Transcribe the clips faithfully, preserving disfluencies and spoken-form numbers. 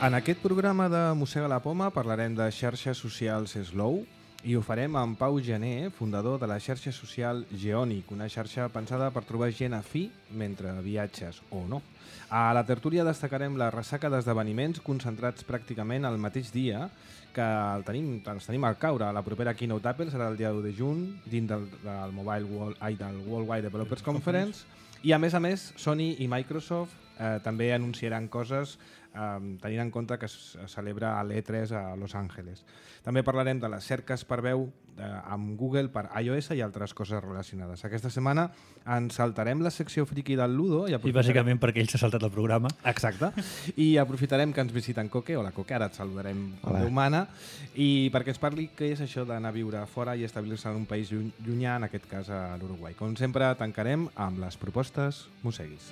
En aquest programa de Mossega la Poma parlarem de xarxes socials Slow i ho farem amb Pau Gené, fundador de la xarxa social Geonic, una xarxa pensada per trobar gent afí mentre viatges o no. A la tertúlia destacarem la ressaca d'esdeveniments concentrats pràcticament al mateix dia que el tenim, els tenim al caure. La propera Keynote Apple serà el dia u de juny dins del, del, Mobile World, ai, del Worldwide Developers Conference i a més a més Sony i Microsoft eh, també anunciaran coses Um, tenint en compte que es celebra l'E tres a Los Angeles. També parlarem de les cerques per veu eh, amb Google per iOS i altres coses relacionades. Aquesta setmana ens saltarem la secció friki del Ludo. I, I bàsicament perquè ell s'ha saltat el programa. Exacte. I aprofitarem que ens visiten Coque. Hola Coque, ara et saludarem com Déu mana. I perquè ens parli què és això d'anar a viure fora i establir-se en un país llunyà, en aquest cas a l'Uruguai. Com sempre, tancarem amb les propostes Mosseguis.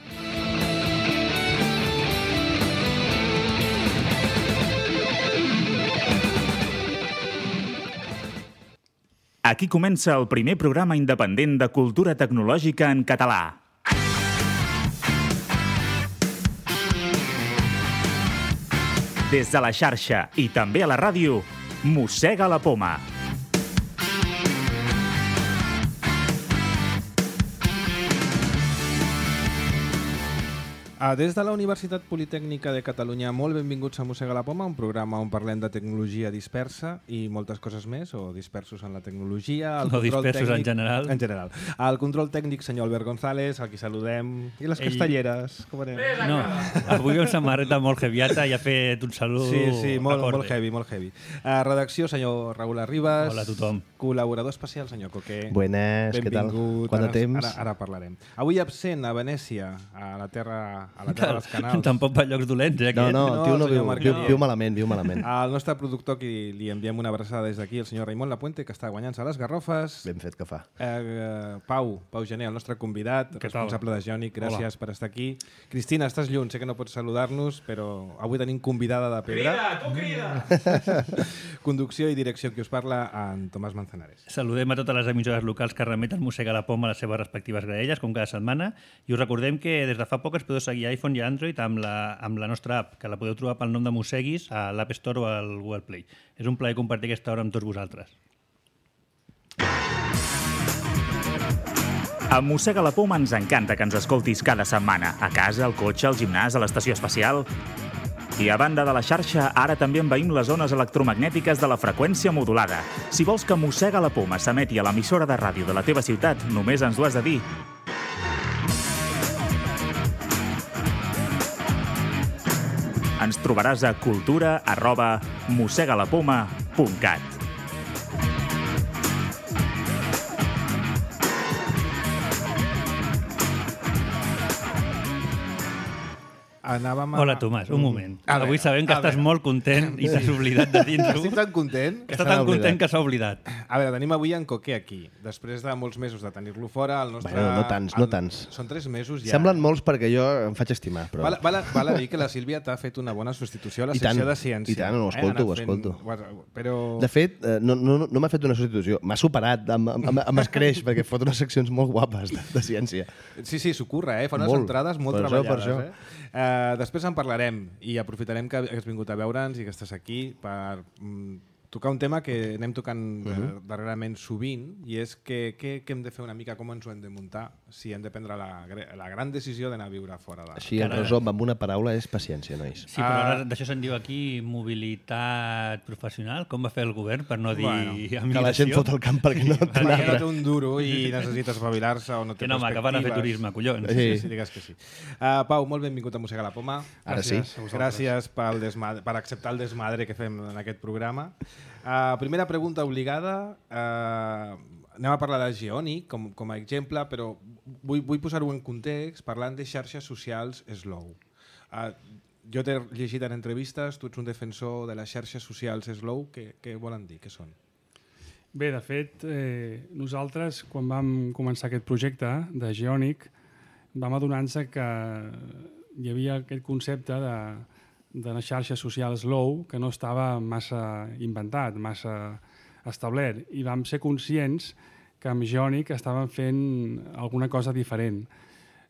Aquí comença el primer programa independent de cultura tecnològica en català. Des de la xarxa i també a la ràdio, Mossega la Poma. Des de la Universitat Politècnica de Catalunya, molt benvinguts a Mossega la Poma, un programa on parlem de tecnologia dispersa i moltes coses més, o dispersos en la tecnologia. O dispersos tècnic, en general. En general. El control tècnic, senyor Albert González, a qui saludem. I les Ell... castelleres, com anem? No, avui amb samarreta molt heaviata i ha fet un salut Sí, sí, molt, molt heavy, molt heavy. Uh, redacció, senyor Raúl Arribas. Hola a tothom. Col·laborador especial, senyor Coque. Buenas, què tal? Quant de temps? Ara, ara parlarem. Avui absent a Venècia, a la terra... a la terra dels canals. Tampoc per llocs dolents, eh? No, no, el tio no, no viu, viu, viu malament, viu malament. El nostre productor, qui li enviem una abraçada des d'aquí, el senyor Raimon Lapuente, que està guanyant-se les garrofes. Ben fet que fa. Eh, Pau, Pau Gené, el nostre convidat, responsable de Geonic, gràcies Hola. per estar aquí. Cristina, estàs lluny, sé que no pots saludar-nos, però avui tenim convidada de pedra. Crida, tu crida! Conducció i direcció, qui us parla, en Tomàs Manzanares. Saludem a totes les emissores locals que remeten Mossega la Poma a les seves respectives graelles, com cada setmana, i us recordem que des de fa poc es podeu seguir a iPhone i Android amb la, amb la nostra app, que la podeu trobar pel nom de Mosseguis a l'App Store o al Google Play. És un plaer compartir aquesta hora amb tots vosaltres. A Mossega la Poma ens encanta que ens escoltis cada setmana, a casa, al cotxe, al gimnàs, a l'estació espacial. I a banda de la xarxa, ara també envaïm les ones electromagnètiques de la freqüència modulada. Si vols que Mossega la Poma s'emeti a l'emissora de ràdio de la teva ciutat, només ens ho has de dir. Ens trobaràs a cultura arroba mossegalapoma punt cat. Anàvem a... Hola, Tomàs, un moment. A Avui veure, sabem que estàs veure. molt content i t'has oblidat de dir-ho. Estic tan content. Està tan content que s'ha oblidat. A veure, tenim avui en Coque aquí. Després de molts mesos de tenir-lo fora, el nostre... Bueno, no tants, no tants. Són tres mesos ja. Semblen molts perquè jo em faig estimar, però... Val, val, val a dir que la Sílvia t'ha fet una bona substitució a la I secció tant, de ciència. I tant, ho escolto, ho escolto. Però... De fet, no, no, no m'ha fet una substitució. M'ha superat amb, amb, amb escreix, perquè fot unes seccions molt guapes de, de ciència. Sí, sí, s'ho curra, eh? Fa unes Molt. entrades molt Per això, per treballades. això. Eh? Uh, després en parlarem i aprofitarem que has vingut a veure'ns i que estàs aquí per mm, tocar un tema que anem tocant uh -huh. darrerament sovint, i és que, que, que hem de fer una mica, com ens ho hem de muntar si hem de prendre la, la gran decisió d'anar a viure fora de... Així, en resum, amb una paraula, és paciència, nois. Sí, però ara d'això se'n diu aquí mobilitat professional. Com va fer el govern, per no dir Bueno, emigració? Que la gent fot el camp perquè no té un Perquè altre. no té un duro i necessita espavilar-se o no té Que no, home, que van a fer perspectives. turisme, collons. Sí, Sí. sí, digues que sí. Uh, Pau, molt benvingut a Mossega la Poma. Ara sí. Gràcies pel desmadre, per acceptar el desmadre que fem en aquest programa. Uh, primera pregunta obligada. Uh, anem a parlar de Geonic com, com a exemple, però vull, vull posar-ho en context parlant de xarxes socials Slow. Uh, jo t'he llegit en entrevistes, tu ets un defensor de les xarxes socials Slow. Què, què volen dir? Què són? Bé, de fet, eh, nosaltres, quan vam començar aquest projecte de Geonic, vam adonar-nos que hi havia aquest concepte de, de una xarxa social slow que no estava massa inventat, massa establert, i vam ser conscients que amb Geonic estàvem fent alguna cosa diferent.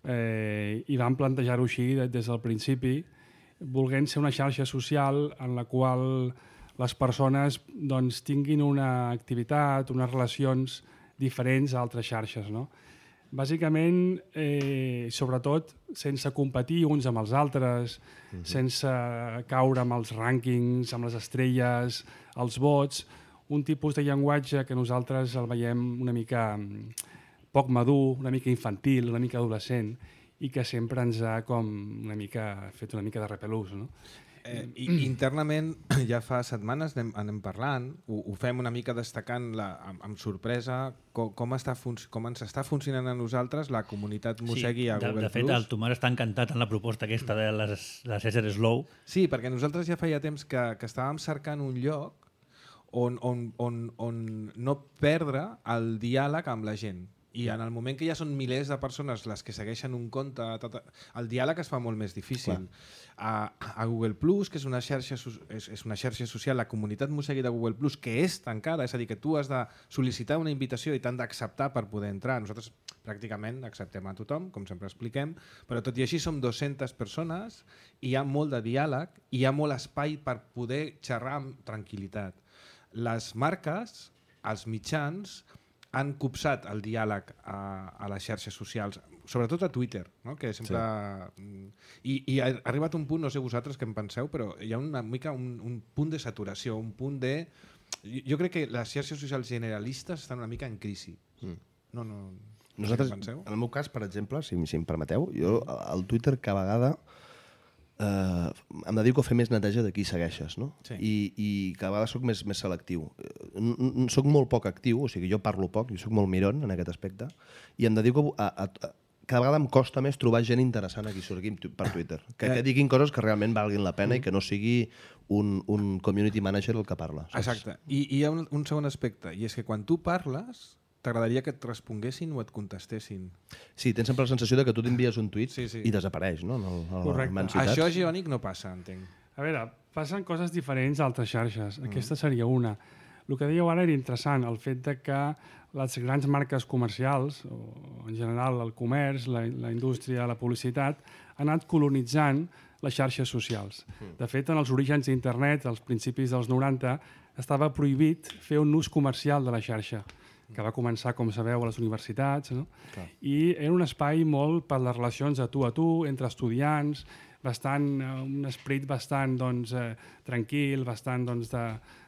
Eh, I vam plantejar-ho així des del principi, volent ser una xarxa social en la qual les persones doncs, tinguin una activitat, unes relacions diferents a altres xarxes, no? Bàsicament, eh, sobretot, sense competir uns amb els altres, uh-huh. sense caure amb els rànquings, amb les estrelles, els vots, un tipus de llenguatge que nosaltres el veiem una mica poc madur, una mica infantil, una mica adolescent, i que sempre ens ha com una mica fet una mica de repelús, no? Eh, i, internament, ja fa setmanes anem, anem parlant, ho, ho fem una mica destacant la, amb, amb sorpresa com, com, està com ens està funcionant a nosaltres la comunitat Mossegui sí, a Google+. De, de fet, el Tomàs està encantat en la proposta aquesta de les, les Ésser Slow. Sí, perquè nosaltres ja feia temps que, que estàvem cercant un lloc on, on, on, on no perdre el diàleg amb la gent. I en el moment que ja són milers de persones les que segueixen un compte, tot, el diàleg es fa molt més difícil. A, a Google Plus, que és una, xarxa, és, és una xarxa social, la comunitat Mossegui de Google Plus, que és tancada, és a dir, que tu has de sol·licitar una invitació i t'han d'acceptar per poder entrar. Nosaltres pràcticament acceptem a tothom, com sempre expliquem, però tot i així som dues-centes persones i hi ha molt de diàleg i hi ha molt espai per poder xerrar amb tranquil·litat. Les marques, els mitjans, han copsat el diàleg a, a les xarxes socials, sobretot a Twitter, no? Que sempre... Sí. I, I ha arribat un punt, no sé vosaltres què en penseu, però hi ha una mica un, un punt de saturació, un punt de... Jo crec que les xarxes socials generalistes estan una mica en crisi. Mm. No, no... Nosaltres, en el meu cas, per exemple, si, si em permeteu, jo al Twitter cada vegada eh, em dedico a fer més neteja de qui segueixes, no? Sí. I, i cada vegada soc més, més selectiu. Soc molt poc actiu, o sigui, jo parlo poc, jo soc molt miron en aquest aspecte, i em dedico a, a, a cada vegada em costa més trobar gent interessant aquí surti per Twitter. Que, que diguin coses que realment valguin la pena mm. i que no sigui un, un community manager el que parla. Saps? Exacte. I, i hi ha un, un segon aspecte, i és que quan tu parles t'agradaria que et responguessin o et contestessin. Sí, tens sempre la sensació de que tu t'envies un tuit sí, sí. i desapareix, no? Correcte. Això a Geonic no passa, entenc. A veure, passen coses diferents a altres xarxes. Mm. Aquesta seria una. El que dèieu ara era interessant, el fet de que les grans marques comercials, o en general el comerç, la, la indústria, la publicitat, han anat colonitzant les xarxes socials. Mm. De fet, en els orígens d'internet, als principis dels noranta, estava prohibit fer un ús comercial de la xarxa, que va començar, com sabeu, a les universitats, no? Clar. I era un espai molt per les relacions de tu a tu, entre estudiants, bastant, un esperit bastant doncs, eh, tranquil, bastant doncs, de,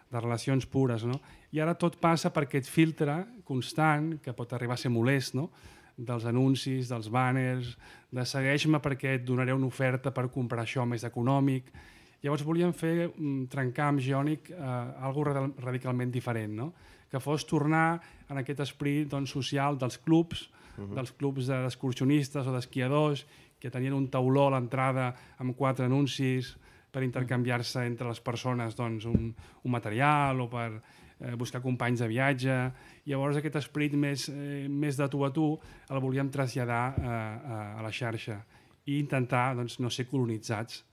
de relacions pures, no? I ara tot passa per aquest filtre constant, que pot arribar a ser molest, no? Dels anuncis, dels banners, de segueix-me perquè et donaré una oferta per comprar això més econòmic. Llavors volíem fer, trencar amb Geonic eh, alguna cosa radicalment diferent, no? Que fos tornar en aquest esperit doncs, social dels clubs, uh-huh. dels clubs d'excursionistes o d'esquiadors, que tenien un tauló a l'entrada amb quatre anuncis per intercanviar-se entre les persones doncs, un, un material o per eh, buscar companys de viatge. Llavors aquest esperit més, eh, més de tu a tu el volíem traslladar eh, a, a la xarxa i intentar doncs, no ser colonitzats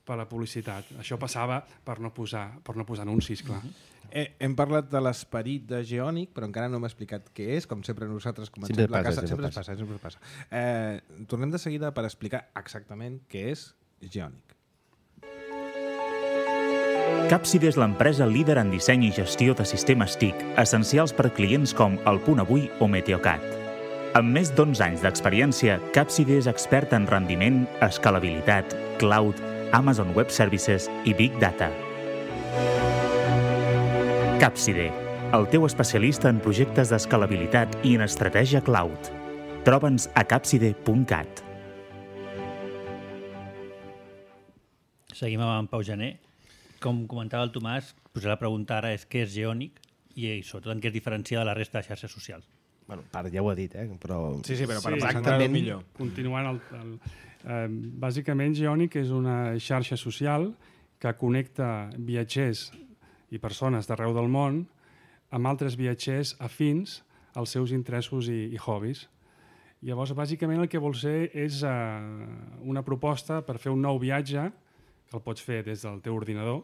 per la publicitat. Això passava per no posar, per no posar anuncis, clar. Uh-huh. Eh, hem parlat de l'esperit de Geonic, però encara no m'ha explicat què és, com sempre nosaltres comencem sempre la passa, casa. Sempre, sempre passa. passa, sempre passa. Eh, tornem de seguida per explicar exactament què és Geonic. Capside és l'empresa líder en disseny i gestió de sistemes T I C, essencials per clients com El Punt Avui o Meteocat. Amb més d'onze anys d'experiència, Capside és expert en rendiment, escalabilitat, cloud, Amazon Web Services i Big Data. Capside, el teu especialista en projectes d'escalabilitat i en estratègia cloud. Troba'ns a capside punt cat. Seguim amb en Pau Gené. Com comentava el Tomàs, posar la pregunta ara és què és Geonic i sobretot en què es diferencia de la resta de xarxes socials. Bueno, part ja ho ha dit, eh? Però... Sí, sí, però per sí, exactament millor. Continuant, el, el, eh, bàsicament Geonic és una xarxa social que connecta viatgers i persones d'arreu del món amb altres viatgers afins als seus interessos i, i hobbies. Llavors, bàsicament el que vol ser és eh, una proposta per fer un nou viatge, que el pots fer des del teu ordinador,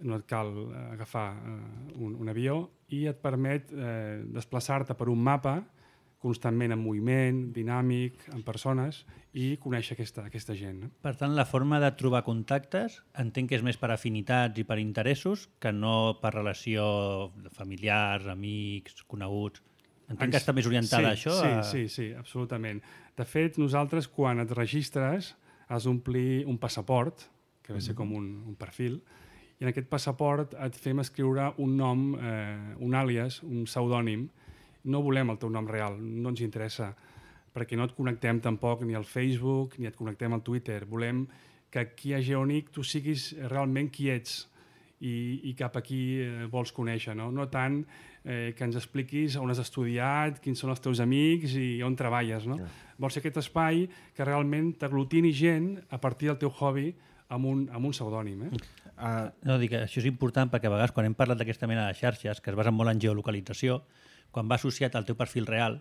no et cal agafar eh, un, un avió, i et permet eh, desplaçar-te per un mapa constantment en moviment, dinàmic, en persones, i conèixer aquesta, aquesta gent. No? Per tant, la forma de trobar contactes entenc que és més per afinitats i per interessos que no per relació de familiars, amics, coneguts. Entenc que està més orientada sí, a això? Sí, a... sí, sí, absolutament. De fet, nosaltres, quan et registres, has d'omplir un passaport, que va ser com un, un perfil, i en aquest passaport et fem escriure un nom, eh, un àlies, un pseudònim. No volem el teu nom real, no ens interessa, perquè no et connectem tampoc ni al Facebook ni et connectem al Twitter. Volem que aquí a Geonic tu siguis realment qui ets i, i cap a qui eh, vols conèixer. No, no tant eh, que ens expliquis on has estudiat, quins són els teus amics i on treballes. No? Yeah. Vols ser aquest espai que realment t'aglutini gent a partir del teu hobby amb un, amb un pseudònim. Eh? Uh, no, dic que això és important perquè a vegades quan hem parlat d'aquesta mena de xarxes que es basen molt en geolocalització, quan va associat al teu perfil real,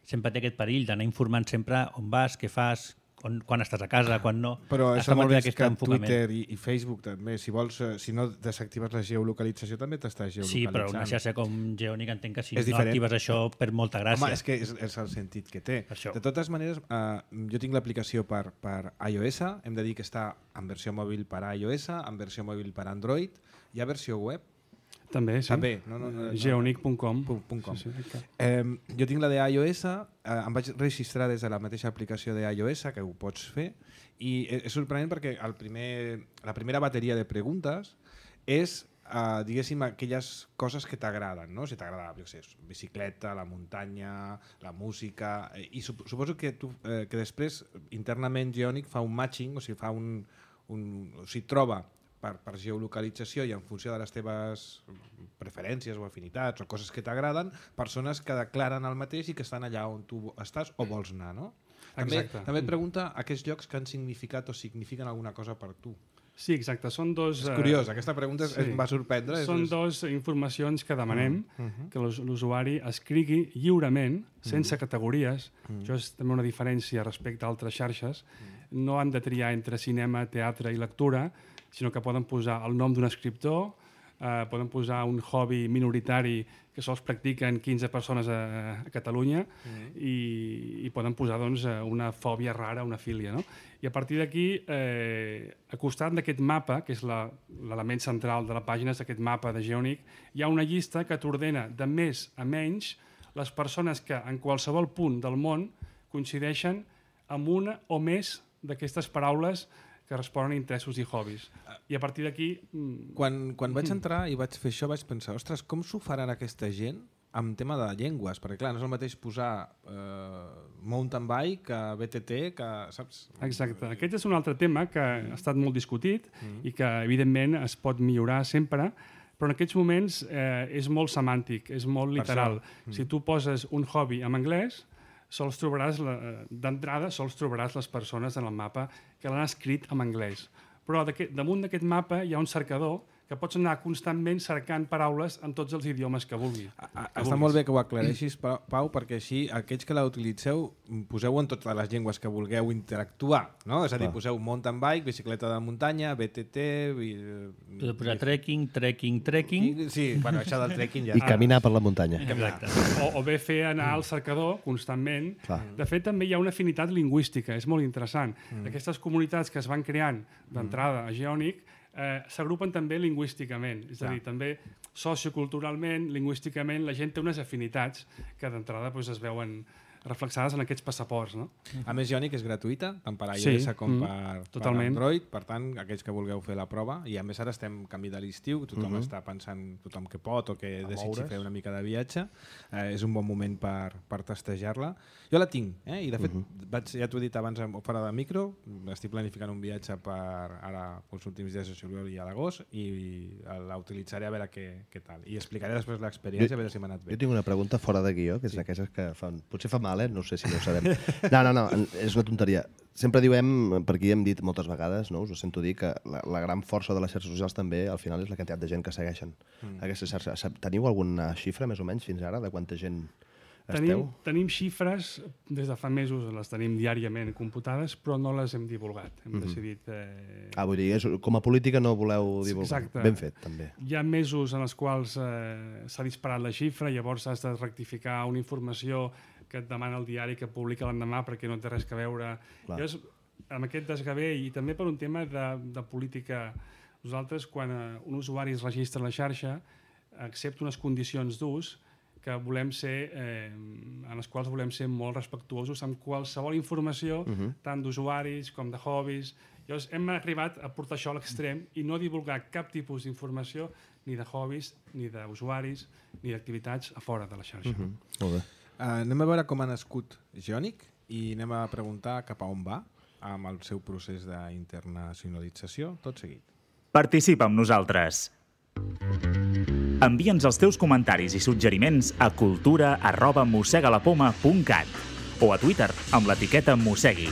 sempre té aquest perill d'anar informant sempre on vas, què fas, on, quan estàs a casa, quan no. Però és Està el molt bé mateix aquest que enfocament. Twitter i, i Facebook també. Si vols, si no desactives la geolocalització també t'estàs geolocalitzant. Sí, però una xarxa com Geonic entenc que si és no diferent. actives això per molta gràcia. Home, és que és, és el sentit que té. Això. De totes maneres, eh, jo tinc l'aplicació per, per iOS, hem de dir que està en versió mòbil per iOS, en versió mòbil per Android, hi ha versió web. També, sí. També, no, no, no, no. geonic punt com. .com. Sí, sí, okay. eh, jo tinc la de iOS, eh, em vaig registrar des de la mateixa aplicació de iOS, que ho pots fer, i és sorprenent perquè el primer, la primera bateria de preguntes és, eh, diguéssim, aquelles coses que t'agraden, no? Si t'agrada, jo sé, bicicleta, la muntanya, la música, eh, i sup suposo que, tu, eh, que després internament Geonic fa un matching, o sigui, fa un, un, o sigui, troba Per, per geolocalització i en funció de les teves preferències o afinitats o coses que t'agraden, persones que declaren el mateix i que estan allà on tu estàs o vols anar, no? També, Exacte. també et pregunta aquests llocs que han significat o signifiquen alguna cosa per tu. Sí, exacte. Són dos... És curiós, aquesta pregunta sí. em va sorprendre. Són és... dos informacions que demanem uh -huh. que l'usuari escrigui lliurement, sense uh -huh. categories. Uh -huh. Això és també una diferència respecte a altres xarxes. Uh -huh. No han de triar entre cinema, teatre i lectura, sinó que poden posar el nom d'un escriptor, eh, poden posar un hobby minoritari que sols practiquen quinze persones a, a Catalunya mm. i, i poden posar doncs, una fòbia rara, una filia. No? I a partir d'aquí, eh, al costat d'aquest mapa, que és l'element central de la pàgina, és aquest mapa de Geonic, hi ha una llista que t'ordena de més a menys les persones que en qualsevol punt del món coincideixen amb una o més d'aquestes paraules que responen a interessos i hobbies. I a partir d'aquí... Quan, quan vaig entrar i vaig fer això, vaig pensar, ostres, com s'ho faran aquesta gent amb tema de llengües? Perquè, clar, no és el mateix posar eh, mountain bike que B T T, que, saps? Exacte. Aquest és un altre tema que ha estat molt discutit mm. i que, evidentment, es pot millorar sempre, però en aquests moments eh, és molt semàntic, és molt literal. Mm. Si tu poses un hobby en anglès, sols trobaràs, d'entrada, sols trobaràs les persones en el mapa que l'han escrit en anglès. Però damunt d'aquest mapa hi ha un cercador que pots anar constantment cercant paraules en tots els idiomes que vulguis. A, que està vulguis. Molt bé que ho aclareixis, Pau, perquè així aquells que la utilitzeu poseu en totes les llengües que vulgueu interactuar, no? És a dir, Clar. poseu mountain bike, bicicleta de muntanya, B T T... Podeu posar trekking, trekking, trekking... Sí, bueno, això del trekking ja... I caminar per la muntanya. Exacte. O, o bé fer anar al cercador constantment. Clar. De fet, també hi ha una afinitat lingüística, és molt interessant. Mm. Aquestes comunitats que es van creant d'entrada a Geonic Eh, s'agrupen també lingüísticament, és a dir, també socioculturalment, lingüísticament, la gent té unes afinitats que d'entrada doncs, es veuen reflexades en aquests passaports. No? A més, Geonic és gratuïta, tant per iOS sí, com mm, per, per Android, per tant, aquells que vulgueu fer la prova, i a més ara estem canvi de l'estiu, tothom mm -hmm. està pensant, tothom que pot o que desitgi fer una mica de viatge, eh, és un bon moment per, per testejar-la. Jo la tinc, eh? I de fet, mm -hmm. vaig, ja t'ho he dit abans fora de micro, estic planificant un viatge per ara, els últims dies de juliol i a l'agost, i la utilitzaré a veure què, què tal. I explicaré després l'experiència, a veure si m'ha anat bé. Jo tinc una pregunta fora de guió, que és sí. d'aquestes que fan... Potser fa mal, eh? No sé si no ho sabem. No, no, no, és una tonteria. Sempre diem, per aquí hem dit moltes vegades, no? Us ho sento dir, que la, la gran força de les xarxes socials també, al final, és la quantitat de gent que segueixen mm. aquestes xarxes. Teniu alguna xifra, més o menys, fins ara, de quanta gent tenim, esteu? Tenim xifres, des de fa mesos les tenim diàriament computades, però no les hem divulgat. Hem mm-hmm. decidit... Eh... Ah, vull dir, és, com a política no voleu divulgar. Exacte. Ben fet, també. Hi ha mesos en els quals eh, s'ha disparat la xifra, llavors has de rectificar una informació que et demana el diari que publica l'endemà perquè no té res a veure. Llavors, amb aquest desgavell i també per un tema de, de política, nosaltres quan un usuari es registra a la xarxa accepta unes condicions d'ús que volem ser, eh, en les quals volem ser molt respectuosos amb qualsevol informació, uh -huh. tant d'usuaris com de hobbies. Llavors hem arribat a portar això a l'extrem i no divulgar cap tipus d'informació ni de hobbies, ni d'usuaris, ni d'activitats a fora de la xarxa. Uh -huh. Molt bé. Uh, anem a veure com ha nascut Geonic i anem a preguntar cap a on va amb el seu procés d'internacionalització, tot seguit. Participa amb nosaltres. Envia'ns els teus comentaris i suggeriments a cultura arroba mossegalapoma punt cat o a Twitter amb l'etiqueta mossegui.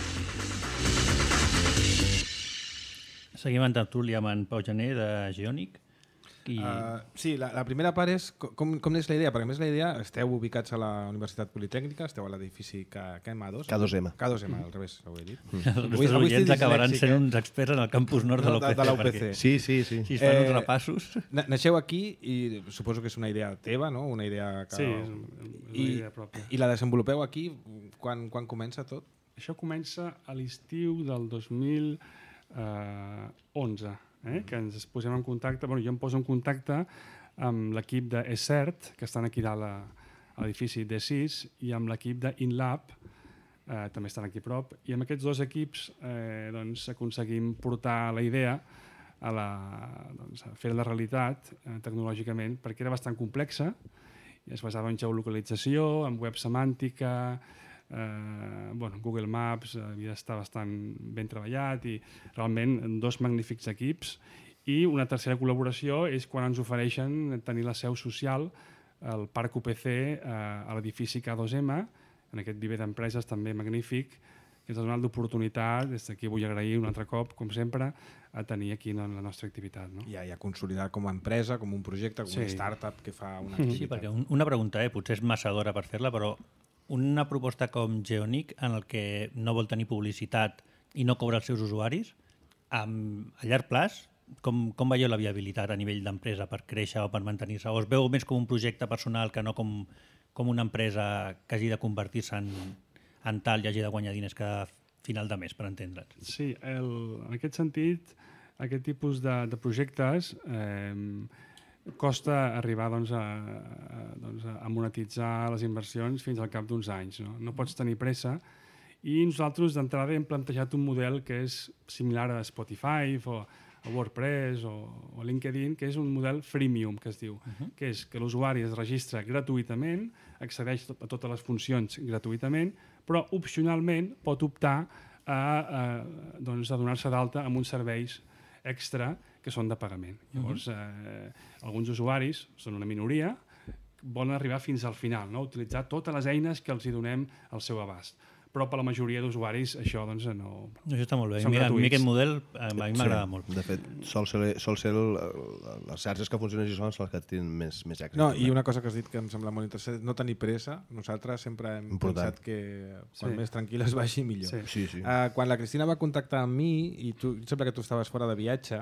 Seguim en tertúlia amb en Pau Gené de Geonic. I... Uh, sí, la, la primera part és com, com és la idea, perquè a més la idea esteu ubicats a la Universitat Politècnica, esteu a l'edifici K M A dos. K dos M. K dos M, al revés, ho he dit. Mm. Els nostres oients acabaran sent uns experts en el campus nord de l'U P C. De, de l'U P C. Sí, sí, sí. Si es fan eh, uns repassos... Naixeu aquí i suposo que és una idea teva, no? Una idea que... Sí, és una I, idea pròpia. I la desenvolupeu aquí quan, quan comença tot? Això comença a l'estiu del dos mil onze. Eh? Que ens posem en contacte, bueno, jo em poso en contacte amb l'equip d'ECERT, que estan aquí dalt a, a l'edifici D sis, i amb l'equip d'InLab, eh, també estan aquí a prop, i amb aquests dos equips eh, doncs, aconseguim portar la idea a, la, doncs, a fer la realitat eh, tecnològicament, perquè era bastant complexa, i es basava en geolocalització, en web semàntica, eh, bueno, Google Maps havia d'estar bastant ben treballat i realment dos magnífics equips. I una tercera col·laboració és quan ens ofereixen tenir la seu social al Parc U P C eh, a l'edifici K dos M, en aquest viver d'empreses també magnífic, que ens ha donat l'oportunitat, des d'aquí vull agrair un altre cop, com sempre, a tenir aquí la nostra activitat. No? Ja, ja consolidat com a empresa, com un projecte, com sí. una startup que fa una activitat. Sí, perquè un, una pregunta, eh, potser és massa d'hora per fer-la, però una proposta com Geonic, en el que no vol tenir publicitat i no cobra els seus usuaris, amb, a llarg plaç, com, com veieu la viabilitat a nivell d'empresa per créixer o per mantenir-se? O es veu més com un projecte personal que no com, com una empresa que hagi de convertir-se en, en tal i hagi de guanyar diners cada final de mes, per entendre'ns? Sí, el, en aquest sentit, aquest tipus de, de projectes eh, costa arribar doncs, a, a, doncs, a monetitzar les inversions fins al cap d'uns anys. No? no pots tenir pressa i nosaltres d'entrada hem plantejat un model que és similar a Spotify o a WordPress o, o LinkedIn, que és un model freemium, que es diu, uh -huh. que és que l'usuari es registra gratuïtament, accedeix a totes les funcions gratuïtament, però opcionalment pot optar a, a, doncs, a donar-se d'alta amb uns serveis extra que són de pagament. Llavors, eh, alguns usuaris, són una minoria, volen arribar fins al final, no? Utilitzar totes les eines que els hi donem al seu abast. Però per la majoria d'usuaris això doncs, no... Això està molt bé. Mira, a mi aquest model a mi m'agrada sí. molt. De fet, sol ser, sol ser el, les xarxes que funcionen així són les que tenen més, més èxit. No, i una cosa que has dit que em sembla molt interessant, no tenir pressa. Nosaltres sempre hem Important. pensat que quan sí. més tranquil es vagi millor. Sí. Sí, sí. Uh, quan la Cristina va contactar amb mi, i tu, sembla que tu estaves fora de viatge,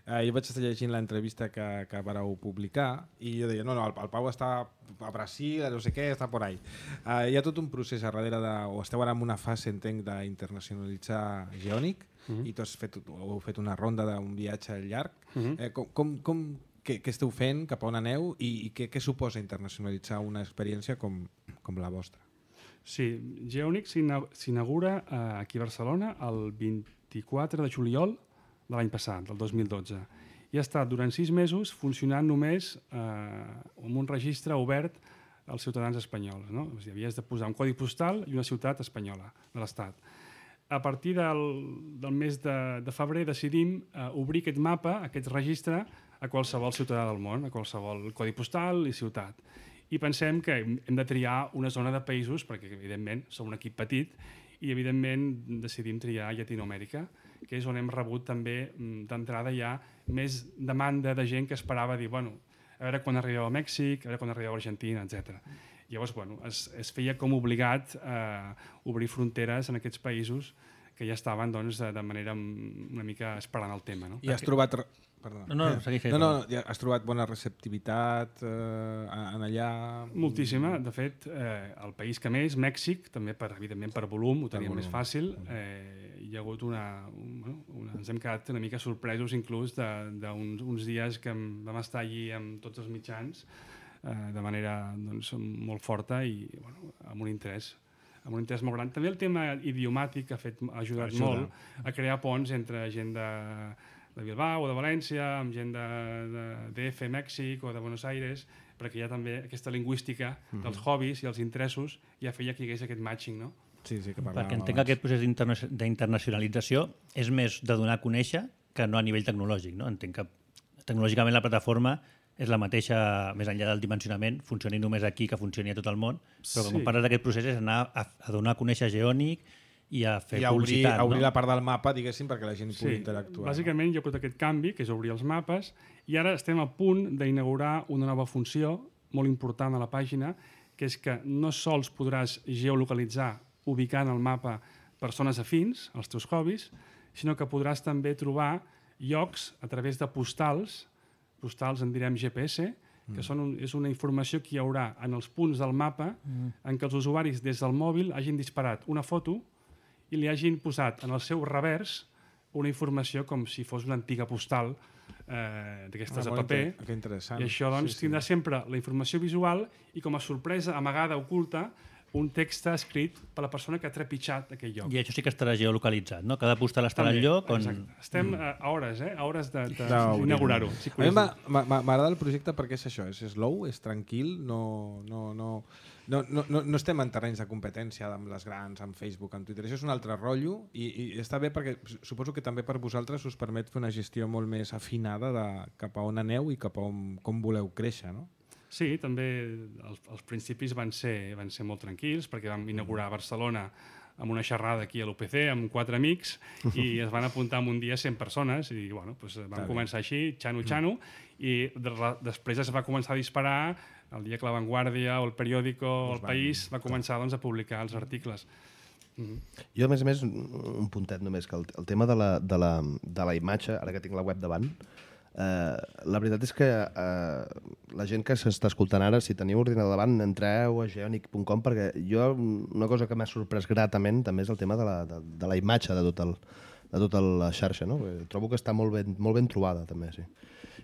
Uh, jo vaig estar llegint l'entrevista que, que vareu publicar i jo deia, no, no, el, el Pau està a Brasil, no sé què, està por ahí. Uh, hi ha tot un procés a darrere de... o esteu ara en una fase, entenc, d'internacionalitzar Geonic uh -huh. i tu has fet, heu fet una ronda d'un viatge llarg. Uh -huh. eh, com, com, com, què, què esteu fent, cap a on aneu i, i què, què suposa internacionalitzar una experiència com, com la vostra? Sí, Geonic s'inaugura uh, aquí a Barcelona el vint-i-quatre de juliol de l'any passat, del dos mil dotze. I ha estat durant sis mesos funcionant només eh, amb un registre obert als ciutadans espanyols. No? O sigui, havies de posar un codi postal i una ciutat espanyola de l'Estat. A partir del, del mes de, de febrer decidim eh, obrir aquest mapa, aquest registre, a qualsevol ciutadà del món, a qualsevol codi postal i ciutat. I pensem que hem de triar una zona de països, perquè evidentment som un equip petit, i evidentment decidim triar Llatinoamèrica, que és on hem rebut també d'entrada ja més demanda de gent que esperava dir, bueno, a veure quan arribeu a Mèxic, a veure quan arribeu a Argentina, etcètera. Llavors, bueno, es, es feia com obligat a obrir fronteres en aquests països que ja estaven doncs, de manera una mica esperant el tema. No? I has trobat... Perdona. No, no, segueix fent. No, no, ja has trobat bona receptivitat eh, en allà? Moltíssima. De fet, eh, el país que més, Mèxic, també per, evidentment per volum, ho teníem més fàcil. Eh, hi ha hagut una, un, una... Ens hem quedat una mica sorpresos inclús d'uns uns dies que vam estar allí amb tots els mitjans eh, de manera doncs, molt forta i bueno, amb un interès amb un interès molt gran. També el tema idiomàtic ha, fet, ha ajudat Ajuda. molt a crear ponts entre gent de de Bilbao o de València, amb gent de, de D F, Mèxic o de Buenos Aires, perquè hi ha també aquesta lingüística mm-hmm. dels hobbies i els interessos ja feia que hi hagués aquest matching, no? Sí, sí, que perquè entenc que aquest procés d'internacionalització és més de donar a conèixer que no a nivell tecnològic, no? Entenc que tecnològicament la plataforma és la mateixa, més enllà del dimensionament, funcioni només aquí que funcioni a tot el món, però sí. quan parles d'aquest procés és anar a, a donar a conèixer Geonic i a fer I a obrir, publicitat. A obrir no? la part del mapa, diguéssim, perquè la gent sí, pugui interactuar. Bàsicament hi ha hagut aquest canvi, que és obrir els mapes, i ara estem a punt d'inaugurar una nova funció molt important a la pàgina, que és que no sols podràs geolocalitzar ubicant al mapa persones afins als teus hobbies, sinó que podràs també trobar llocs a través de postals, postals en direm G P S, que mm. són un, és una informació que hi haurà en els punts del mapa mm. en què els usuaris des del mòbil hagin disparat una foto i li hagin posat en el seu revers una informació com si fos una antiga postal eh, d'aquestes ah, de paper. Que interessant. I això doncs, sí, sí. tindrà sempre la informació visual i com a sorpresa amagada, oculta, un text escrit per la persona que ha trepitjat aquell lloc. I això sí que estarà geolocalitzat, no? Cada postal estarà al lloc on... Exacte. Estem mm. a hores, eh? A hores d'inaugurar-ho. Sí, a mi m'agrada el projecte perquè és això, és slow, és tranquil, no... no, no... No, no, no, no estem en terrenys de competència amb les grans, amb Facebook, amb Twitter. Això és un altre rotllo i, i està bé perquè suposo que també per vosaltres us permet fer una gestió molt més afinada de cap a on aneu i cap a on, com voleu créixer, no? Sí, també els, els principis van ser, van ser molt tranquils perquè vam inaugurar a Barcelona amb una xerrada aquí a l'U P C amb quatre amics i es van apuntar en un dia cent persones i bueno, doncs vam Està començar bé. així, xano-xano, i de, després es va començar a disparar el dia que La Vanguardia o el Periódico o el País va començar doncs, a publicar els articles. Mm-hmm. Jo, a més a més, un puntet només, que el, el tema de la, de, la, de la imatge, ara que tinc la web davant, eh, la veritat és que eh, la gent que s'està escoltant ara, si teniu ordinador davant, entreu a geonic punt com, perquè jo una cosa que m'ha sorprès gratament també és el tema de la, de, de la imatge de tot el, de tota la xarxa, no? Trobo que està molt ben, molt ben trobada, també, sí.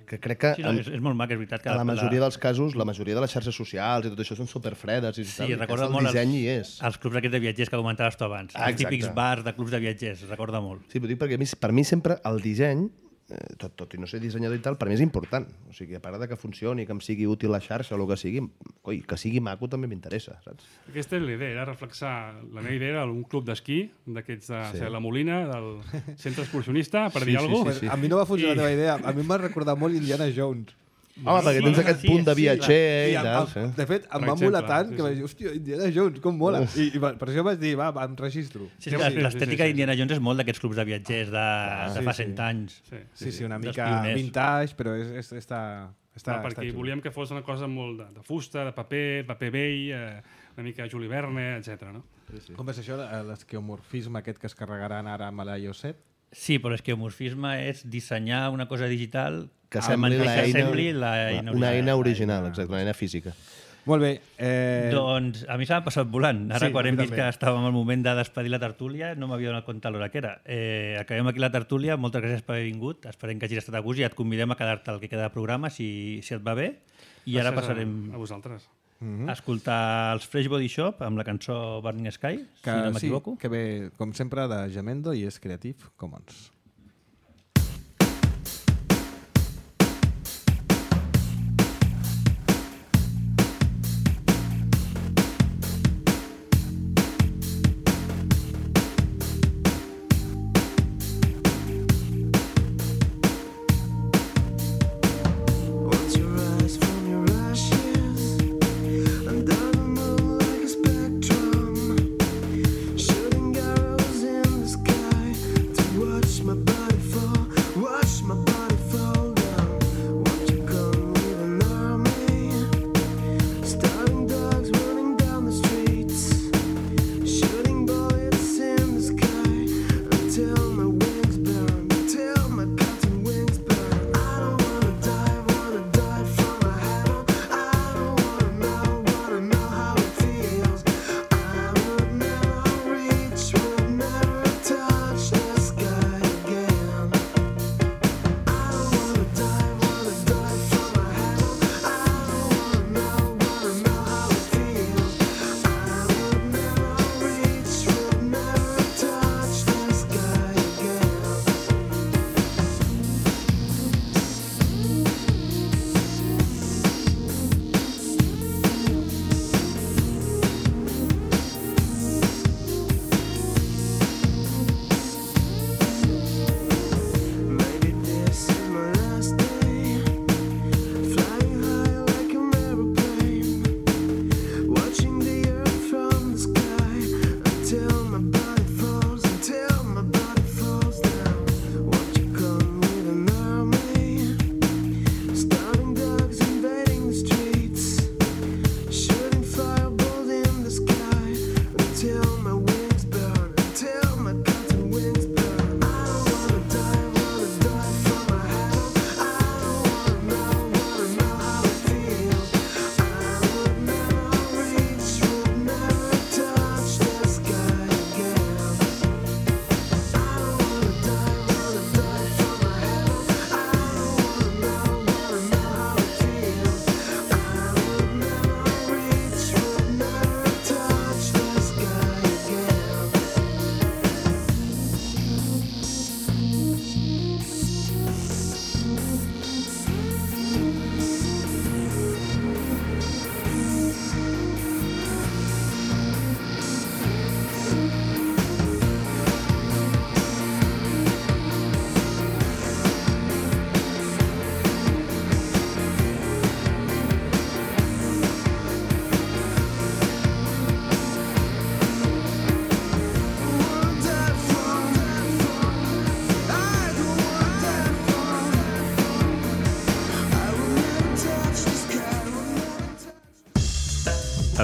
Que crec que sí, no, és, és molt mac, és veritat que a la majoria la... dels casos, la majoria de les xarxes socials i tot això són superfredes i sí, tal, recorda el molt disseny els, hi és. Els clubs aquests de viatgers que comentaves tu abans, ah, els típics bars de clubs de viatgers, recorda molt. Sí, però dic perquè per mi sempre el disseny, eh, tot, tot i no ser dissenyador i tal, per mi és important. O sigui, a part de que funcioni, que em sigui útil la xarxa o el que sigui, coi, que sigui maco també m'interessa, saps? Aquesta era la idea, era reflexar, la meva idea era un club d'esquí, d'aquests de sí. la Molina, del centre excursionista, per sí, dir sí, alguna cosa. Sí, sí. A mi no va funcionar I... la teva idea, a mi m'ha recordat molt Indiana Jones. Home, perquè tens aquest sí, punt de viatger sí, i tal. Sí. De fet, em va molar tant que vaig dir, hòstia, Indiana Jones, com mola. I, i per això vaig dir, va, em registro. Sí, sí, sí, l'estètica sí, sí, d'Indiana Jones és molt d'aquests clubs de viatgers de, ah, de fa sí, cent anys. Sí, sí, sí, una mica vintage, però és, és, està... està no, perquè està volíem que fos una cosa molt de, de fusta, de paper, paper vell, eh, una mica Juli Verne, etcètera. No? Sí, sí. Com és això, l'esqueomorfisme aquest que es carregaran ara amb l'iOS set? Sí, però l'esqueomorfisme és dissenyar una cosa digital que sembli, la eina, sembli la eina una eina original, exacte, una eina física. Molt bé. Eh... Doncs a mi s'ha passat volant. Ara, sí, quan hem vist que estàvem al moment de despedir la tertúlia, no m'havia donat compte l'hora que era. Eh, acabem aquí la tertúlia. Moltes gràcies per haver vingut. Esperem que hagis estat a gust i et convidem a quedar-te al que queda de programa, si, si et va bé. I gràcies ara passarem a, a vosaltres. Mm-hmm. a escoltar els Fresh Body Shop amb la cançó Burning Sky, que, si no m'equivoco. Sí, que ve, com sempre, de Jamendo i és Creative Commons.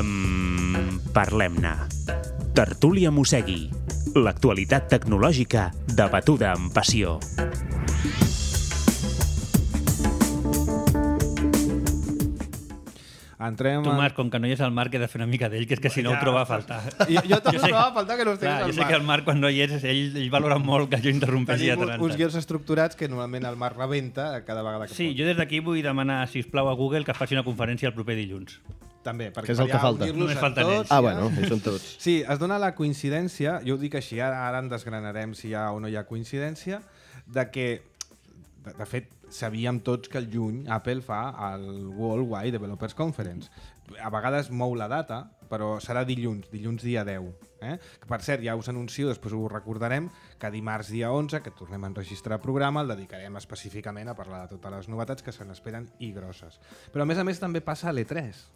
Um, Parlem-ne. Tertúlia Mossegui. L'actualitat tecnològica debatuda amb passió. Entrem Tu, en... Marc, com que no hi és el Marc, he de fer una mica d'ell, que és que si no ho troba a faltar. Jo, jo també Jo sé- trobava a faltar que no estigués Clar, el jo sé Marc. que el Marc, quan no hi és, ell, ell valora molt que jo interrompeixi de Tenim tant en uns tant. guions estructurats que normalment el Marc rebenta cada vegada que Sí, pot. jo des d'aquí vull demanar, sisplau, a Google que faci una conferència el proper dilluns. També, perquè Que és el per que ja falta. unir-los Només a falten tots, ells. Ah, ja. bueno, hi són tots. Sí, es dona la coincidència, jo ho dic així, ara, ara en desgranarem si hi ha o no hi ha coincidència, de que, de, de fet, sabíem tots que el juny Apple fa el World Wide Developers Conference. A vegades mou la data, però serà dilluns, dilluns dia deu. Eh? Que, per cert, ja us anuncio, després ho recordarem, que dimarts dia onze, que tornem a enregistrar programa, el dedicarem específicament a parlar de totes les novetats que se n'esperen i grosses. Però a més a més també passa a l'E tres.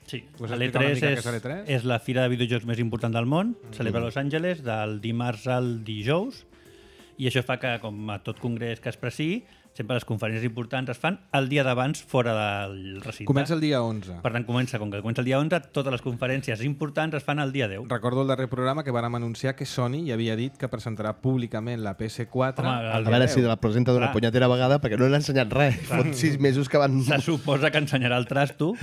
Sí, Vols l'E explicar una tres mica què és, és l'E tres? és la fira de videojocs més important del món, celebra a Los Angeles del dimarts al dijous, i això fa que, com a tot congrés que es preci, sempre les conferències importants es fan el dia d'abans fora del recinte. Comença el dia onze. Per tant, comença, com que comença el dia onze, totes les conferències importants es fan el dia deu. Recordo el darrer programa que vàrem anunciar que Sony ja havia dit que presentarà públicament la P S quatre. Home, el A dia veure deu. si la presenta d'una Clar. punyetera vegada, perquè no n'ha ensenyat res. Fot sis mesos que van... Se suposa que ensenyarà el trasto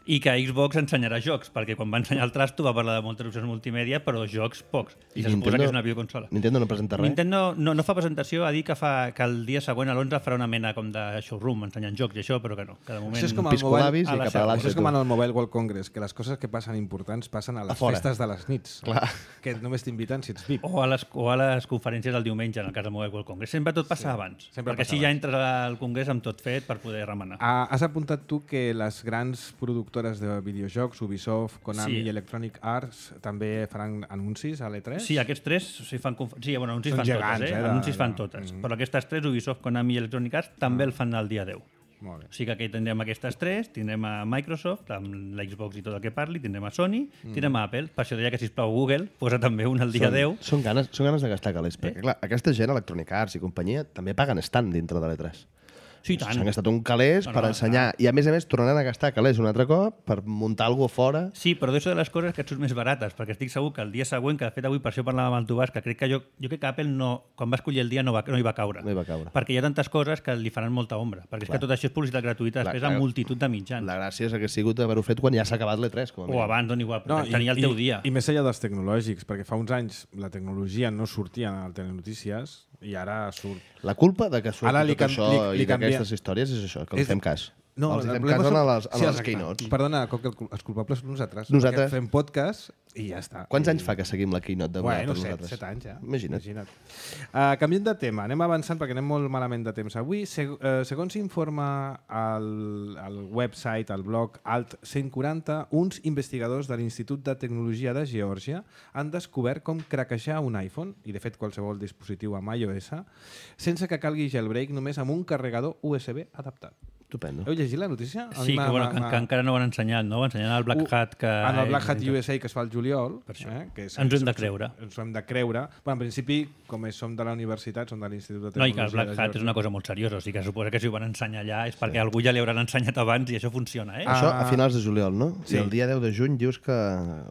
i que Xbox ensenyarà jocs, perquè quan va ensenyar el trasto va parlar de moltes opcions multimèdia, però jocs pocs. I, I se suposa Nintendo- que és una videoconsola. Nintendo no presenta res. Nintendo no, no fa presentació, ha dit que, fa, que el dia següent, a l'onze, farà una mena com de showroom ensenyant jocs i això, però que no. Que de moment... Això és com el Piscolabis a i la cap seu. a Això l'altre. és com en el Mobile World Congress, que les coses que passen importants passen a les A fora. festes de les nits. Clar. Que només t'inviten si ets V I P. O a, les, o a les conferències del diumenge, en el cas del Mobile World Congress. Sempre tot passa Sí, abans, sempre perquè passa així ja abans. entres al congrés amb tot fet per poder remenar. Ah, has apuntat tu que les grans productores de videojocs, Ubisoft, Konami Sí. i Electronic Arts, també faran anuncis a l'E tres? Sí, aquests tres sí, fan conf... sí, bueno, anuncis Són fan gegants, totes, eh? eh, de- Anuncis fan de- totes. Mm. Però aquestes tres, Ubisoft, Konami i Electronic Arts, també el fan el dia deu. Molt bé. O sigui que aquí tindrem aquestes tres, tindrem a Microsoft, amb l'Xbox i tot el que parli, tindrem a Sony, Mm. tindrem a Apple. Per això deia que, sisplau, Google posa també un el dia Són, deu. són, ganes, són ganes de gastar calés, Eh? perquè clar, aquesta gent, Electronic Arts i companyia, també paguen stand dintre de l'E tres. Sí, i tant. S'han gastat un calés No, per no, ensenyar, i a més a més tornaran a gastar calés un altre cop per muntar alguna cosa fora. Sí, però d'això de les coses que et surt més barates, perquè estic segur que el dia següent, que de fet avui per això parlàvem amb el Tubàs, que crec que jo, jo crec que Apple no, quan va escollir el dia no, va, no hi va caure. No hi va caure. Perquè hi ha tantes coses que li faran molta ombra. Perquè és Clar. que tot això és publicitat gratuïta, Clar, després clar. amb multitud de mitjans. La gràcia és que ha sigut haver-ho fet quan ja s'ha acabat l'E tres, com a O mínim. abans, doncs igual, però tenia el teu dia. I, I més enllà dels tecnològics, perquè fa uns anys la tecnologia no sortia al Telenotícies i ara surt. La culpa de que surti Ara li tot cam- això li- li i d'aquestes canvia- històries és això, que els És- fem cas. No, els el fem problema cas són- a les, a sí, les exacte. keynotes. Perdona, Coc, el cul- els culpables som nosaltres. Nosaltres. Perquè fem podcast i ja està. Quants I... anys fa que seguim la keynote de Bueno, per set, nosaltres? set anys ja. Imagina't. Imagina't. Uh, canviem de tema, anem avançant perquè anem molt malament de temps avui. Seg uh, segons informa el, el website, el blog Alt cent quaranta, uns investigadors de l'Institut de Tecnologia de Geòrgia han descobert com craquejar un iPhone, i de fet qualsevol dispositiu amb iOS, sense que calgui jailbreak, només amb un carregador U S B adaptat. Estupendo. Heu llegit la notícia? A Sí, mi m'ha- que, bueno, m'ha- que, que encara no ho han ensenyat, no? Ensenyant el Black Uh, Hat que... En el Black Hat eh, U S A que es fa el juliol. Per això. Eh, que és, Ens ho hem de creure. Ens ho hem de creure. Bueno, en principi, com és, som de la universitat, som de l'Institut de No, i Tecnologia que el Black de Hat és Geòrgia. una cosa molt seriosa, o sigui que suposa que si ho van ensenyar allà és perquè algú ja li hauran ensenyat abans i això funciona, eh? Ah. Això a finals de juliol, no? Sí. I el dia deu de juny dius que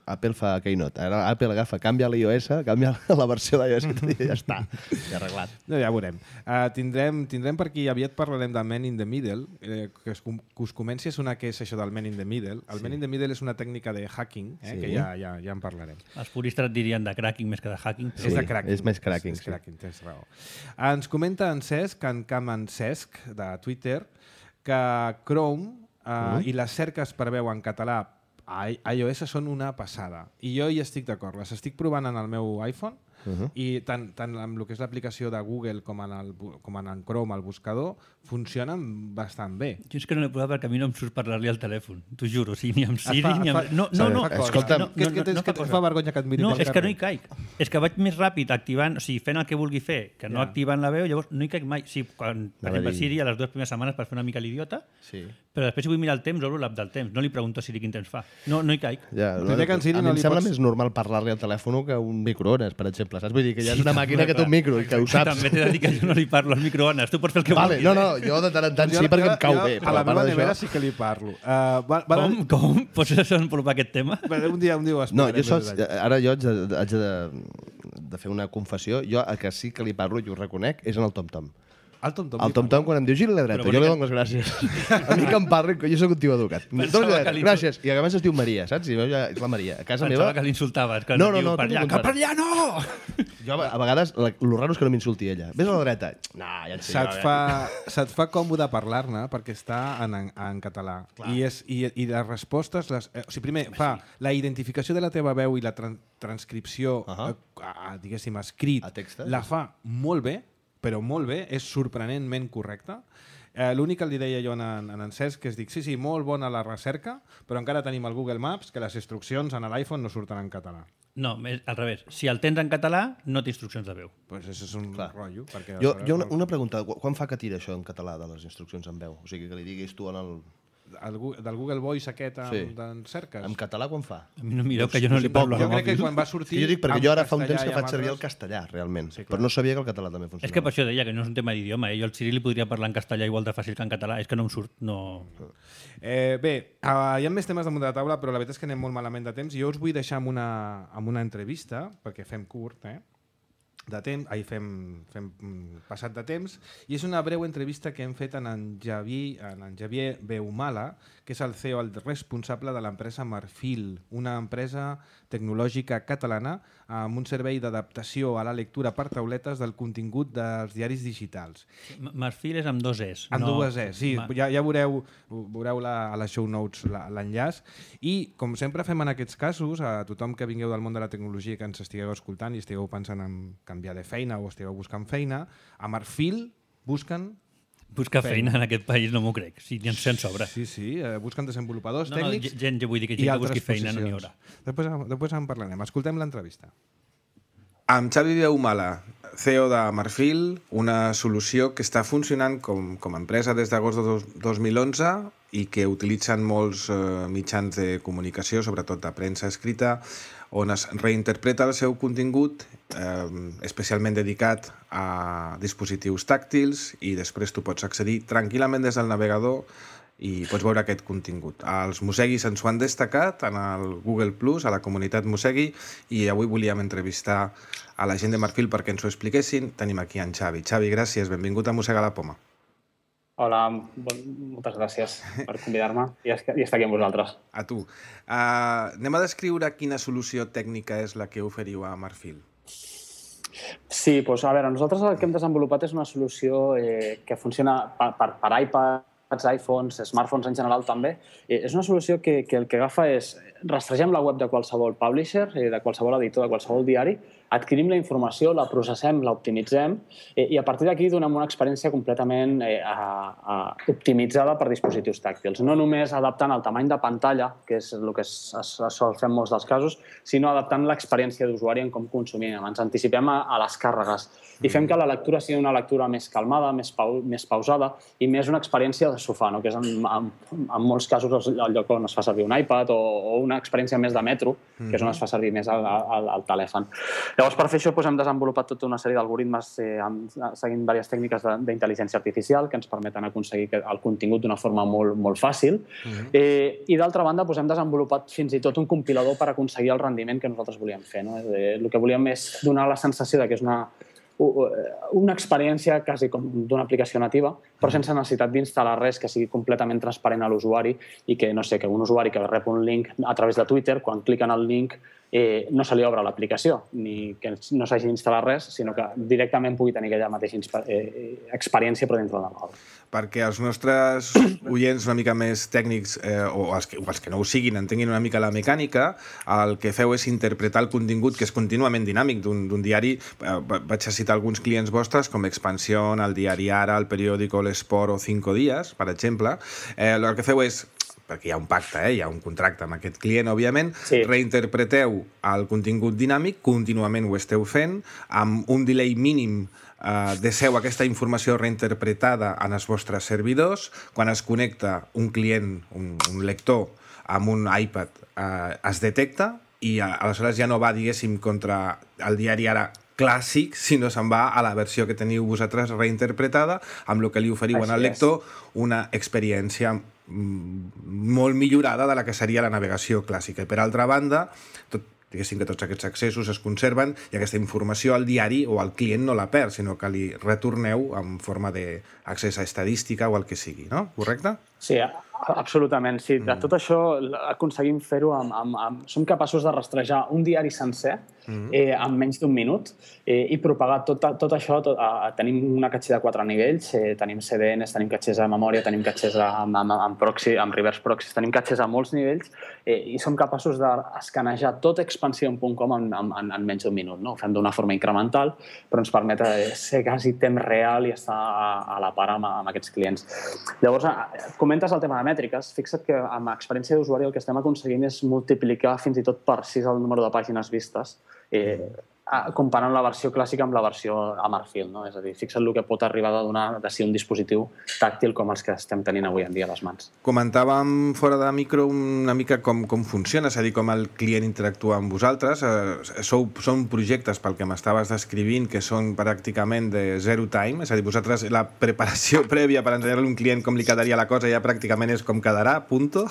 Apple fa Keynote. Ara Apple agafa, canvia l'iOS, canvia la versió d'iOS i ja està. Ja arreglat. No, ja veurem. Uh, tindrem, tindrem per aquí, aviat parlarem del Man in the Middle, eh, que, es, com- que us comenci a sonar què és això del Man in the Middle. El sí. Man in the Middle és una tècnica de hacking, eh, Sí. que ja, ja, ja en parlarem. Els puristes et dirien de cracking més que de hacking. Sí, és de cracking. és més cracking, És, és sí. cracking, tens raó. Ens comenta en Cesc, en Caman Cesc, de Twitter, que Chrome uh, i les cerques per veu en català a i- iOS són una passada. I jo hi estic d'acord. Les estic provant en el meu iPhone Uh -huh. i tant, tant amb el que és l'aplicació de Google com en, el, bu- com en el Chrome, el buscador, funcionen bastant bé. Jo és que no l'he provat perquè a mi no em surt parlar-li al telèfon, t'ho juro, o sigui, ni amb Siri, fa- ni amb... fa- No, no, no, fa cosa. escolta'm, no, que, no, que, no, tens, no que fa et cosa. fa vergonya que et mirin No, pel és que carrer. no hi caic. És que vaig més ràpid activant, o sigui, fent el que vulgui fer, que no Ja. activant la veu, llavors no hi caic mai. Sí, quan, per Anava a exemple, dir- Siri a les dues primeres setmanes per fer una mica l'idiota, Sí. però després si vull mirar el temps, obro l'app del temps. No li pregunto a Siri quin temps fa. No, no hi caic. Ja, Primer que en Siri a mi no em li sembla pots- més normal parlar-li al telèfon que un microones, per exemple. exemple, saps? Vull dir que ja és una màquina que té un micro i que ho saps. També t'he de dir que jo no li parlo al microones. Tu pots fer el que vale, vulguis. No, no, jo de tant en tant sí, perquè em cau bé. A la meva nevera sí que li parlo. Uh, va, va com? Com? Pots desenvolupar aquest tema? Un dia, un dia ho no, jo sols, ara jo haig de, haig de, de fer una confessió. Jo el que sí que li parlo, i ho reconec, és en el Tom Tom. El Tom Tom, el Tom Tom quan em diu gira a la dreta, jo li dono les gràcies. A mi que em parli, jo soc un tio educat. Gràcies. I a més es diu Maria, saps? I ja, és la Maria. A casa Pensava meva... que l'insultaves. No, no, no. Per allà, que per allà no! Jo a vegades, el raro és que no m'insulti ella. Ves a la dreta. No, ja et sé. Se't fa, se't fa còmode parlar-ne perquè està en, en català. I, és, i, I les respostes... Les, eh, o sigui, primer, fa la identificació de la teva veu i la tran transcripció, uh -huh. a, a, diguéssim, escrit, la fa molt bé, però molt bé, és sorprenentment correcta. Eh, L'únic que li deia jo en, en en Cesc, que és dic, sí, sí, molt bona la recerca, però encara tenim el Google Maps, que les instruccions en l'iPhone no surten en català. No, al revés. Si el tens en català, no té instruccions de veu. Pues això és un Clar. rotllo. Perquè jo, jo una, una pregunta, quan fa que tira això en català de les instruccions en veu? O sigui, que li diguis tu en el... El, del Google Voice aquest amb, sí. d'en cerques. En català quan fa? A mi no mireu que jo no li parlo jo crec que quan va sortir... Jo dic perquè jo ara fa un temps que faig servir el castellà, realment. Sí, però no sabia que el català també funcionava. És que per això deia que no és un tema d'idioma. Eh? Jo al Ciri li podria parlar en castellà igual de fàcil que en català. És que no em surt. No... Eh, bé, uh, hi ha més temes damunt de la taula, però la veritat és que anem molt malament de temps. Jo us vull deixar amb una, amb una entrevista, perquè fem curt, eh? de temps, ahir fem, fem passat de temps, i és una breu entrevista que hem fet en en Javier, en en Javier Beumala, que és el C E O, el responsable de l'empresa Marfil, una empresa tecnològica catalana amb un servei d'adaptació a la lectura per tauletes del contingut dels diaris digitals. Marfil és amb dos Es. Amb no... dues Es, sí. Ma... Ja, ja veureu, veureu la, a les show notes l'enllaç. I, com sempre fem en aquests casos, a tothom que vingueu del món de la tecnologia que ens estigueu escoltant i estigueu pensant en canviar de feina o estigueu buscant feina, a Marfil busquen... Buscar feina. feina en aquest país no m'ho crec, si ni ens en sobra. Sí, sí, eh, busquen desenvolupadors no, tècnics... No, gent, jo vull dir que gent que busqui feina no n'hi haurà. Després, després en parlarem. Escoltem l'entrevista. Amb Xavi Beumala, C E O de Marfil, una solució que està funcionant com, com a empresa des d'agost de dos mil onze i que utilitzen molts eh, mitjans de comunicació, sobretot de premsa escrita, on es reinterpreta el seu contingut, eh, especialment dedicat a dispositius tàctils, i després tu pots accedir tranquil·lament des del navegador i pots veure aquest contingut. Els Moseguis ens ho han destacat en el Google Plus, a la comunitat Mosegui, i avui volíem entrevistar a la gent de Marfil perquè ens ho expliquessin. Tenim aquí en Xavi. Xavi, gràcies, benvingut a Mossega la Poma. Hola, moltes gràcies per convidar-me i estar aquí amb vosaltres. A tu. Uh, anem a descriure quina solució tècnica és la que oferiu a Marfil. Sí, doncs a veure, nosaltres el que hem desenvolupat és una solució eh, que funciona per, per, per iPads, iPhones, smartphones en general també. Eh, és una solució que, que el que agafa és rastregem la web de qualsevol publisher, eh, de qualsevol editor, de qualsevol diari, adquirim la informació, la processem, l'optimitzem eh, i a partir d'aquí donem una experiència completament eh, a, a, optimitzada per dispositius tàctils. No només adaptant el tamany de pantalla, que és el que es, es, es sol fer en molts dels casos, sinó adaptant l'experiència d'usuari en com consumim. Ens anticipem a, a les càrregues i fem que la lectura sigui una lectura més calmada, més, pau, més pausada i més una experiència de sofà, no? Que és en, en, en molts casos el lloc on es fa servir un iPad o, o una experiència més de metro, que és on es fa servir més el, el, el telèfon. Llavors, per fer això, doncs, hem desenvolupat tota una sèrie d'algoritmes eh, seguint diverses tècniques d'intel·ligència artificial que ens permeten aconseguir el contingut d'una forma molt, molt fàcil. Uh-huh. eh, I, d'altra banda, doncs, hem desenvolupat fins i tot un compilador per aconseguir el rendiment que nosaltres volíem fer. No? Eh, el que volíem és donar la sensació de que és una, una experiència quasi com d'una aplicació nativa, però sense necessitat d'instal·lar res, que sigui completament transparent a l'usuari i que, no sé, que un usuari que rep un link a través de Twitter, quan clica en el link, Eh, no se li obre l'aplicació, ni que no s'hagi d'instal·lar res, sinó que directament pugui tenir aquella mateixa eh, experiència però dintre del navegador. Perquè els nostres oients una mica més tècnics, eh, o, els que, o els que no ho siguin, entenguin una mica la mecànica, el que feu és interpretar el contingut, que és contínuament dinàmic d'un diari. Eh, vaig a citar alguns clients vostres, com Expansión, el diari Ara, el periòdico L'Esport o Cinco Días, per exemple. Eh, el que feu és, perquè hi ha un pacte, eh? Hi ha un contracte amb aquest client, òbviament, sí. Reinterpreteu el contingut dinàmic, contínuament ho esteu fent, amb un delay mínim eh, deixeu aquesta informació reinterpretada en els vostres servidors. Quan es connecta un client, un, un lector, amb un iPad, eh, es detecta, i aleshores ja no va, diguéssim, contra el diari ara clàssic, sinó se'n va a la versió que teniu vosaltres reinterpretada, amb el que li oferiu al lector una experiència molt millorada de la que seria la navegació clàssica. I per altra banda, tot, diguéssim que tots aquests accessos es conserven i aquesta informació al diari o al client no la perd, sinó que li retorneu en forma d'accés a estadística o el que sigui, no? Correcte? Sí, absolutament. Sí, de tot això aconseguim fer-ho amb, amb, amb... Som capaços de rastrejar un diari sencer eh, en menys d'un minut eh, i propagar tot, tot això. Tot, eh, tenim una catxer de quatre nivells, eh, tenim C D Ns, tenim catxers a memòria, tenim catxers amb, amb, amb, proxy, amb reverse proxies, tenim catxers a molts nivells eh, i som capaços d'escanejar tot expansion punt com en, en, en menys d'un minut. No? Ho fem d'una forma incremental, però ens permet ser quasi temps real i estar a, a la par amb, amb aquests clients. Llavors, comentes el tema de mètriques. Fixa't que amb experiència d'usuari el que estem aconseguint és multiplicar fins i tot per sis el número de pàgines vistes, eh, comparant la versió clàssica amb la versió a marfil. No? És a dir, fixa't el que pot arribar a donar de ser un dispositiu tàctil com els que estem tenint avui en dia a les mans. Comentàvem fora de micro una mica com, com funciona, és a dir, com el client interactua amb vosaltres. Eh, sou, són projectes, pel que m'estaves descrivint, que són pràcticament de zero time, és a dir, vosaltres la preparació prèvia per ensenyar-li a un client com li quedaria la cosa ja pràcticament és com quedarà, punto,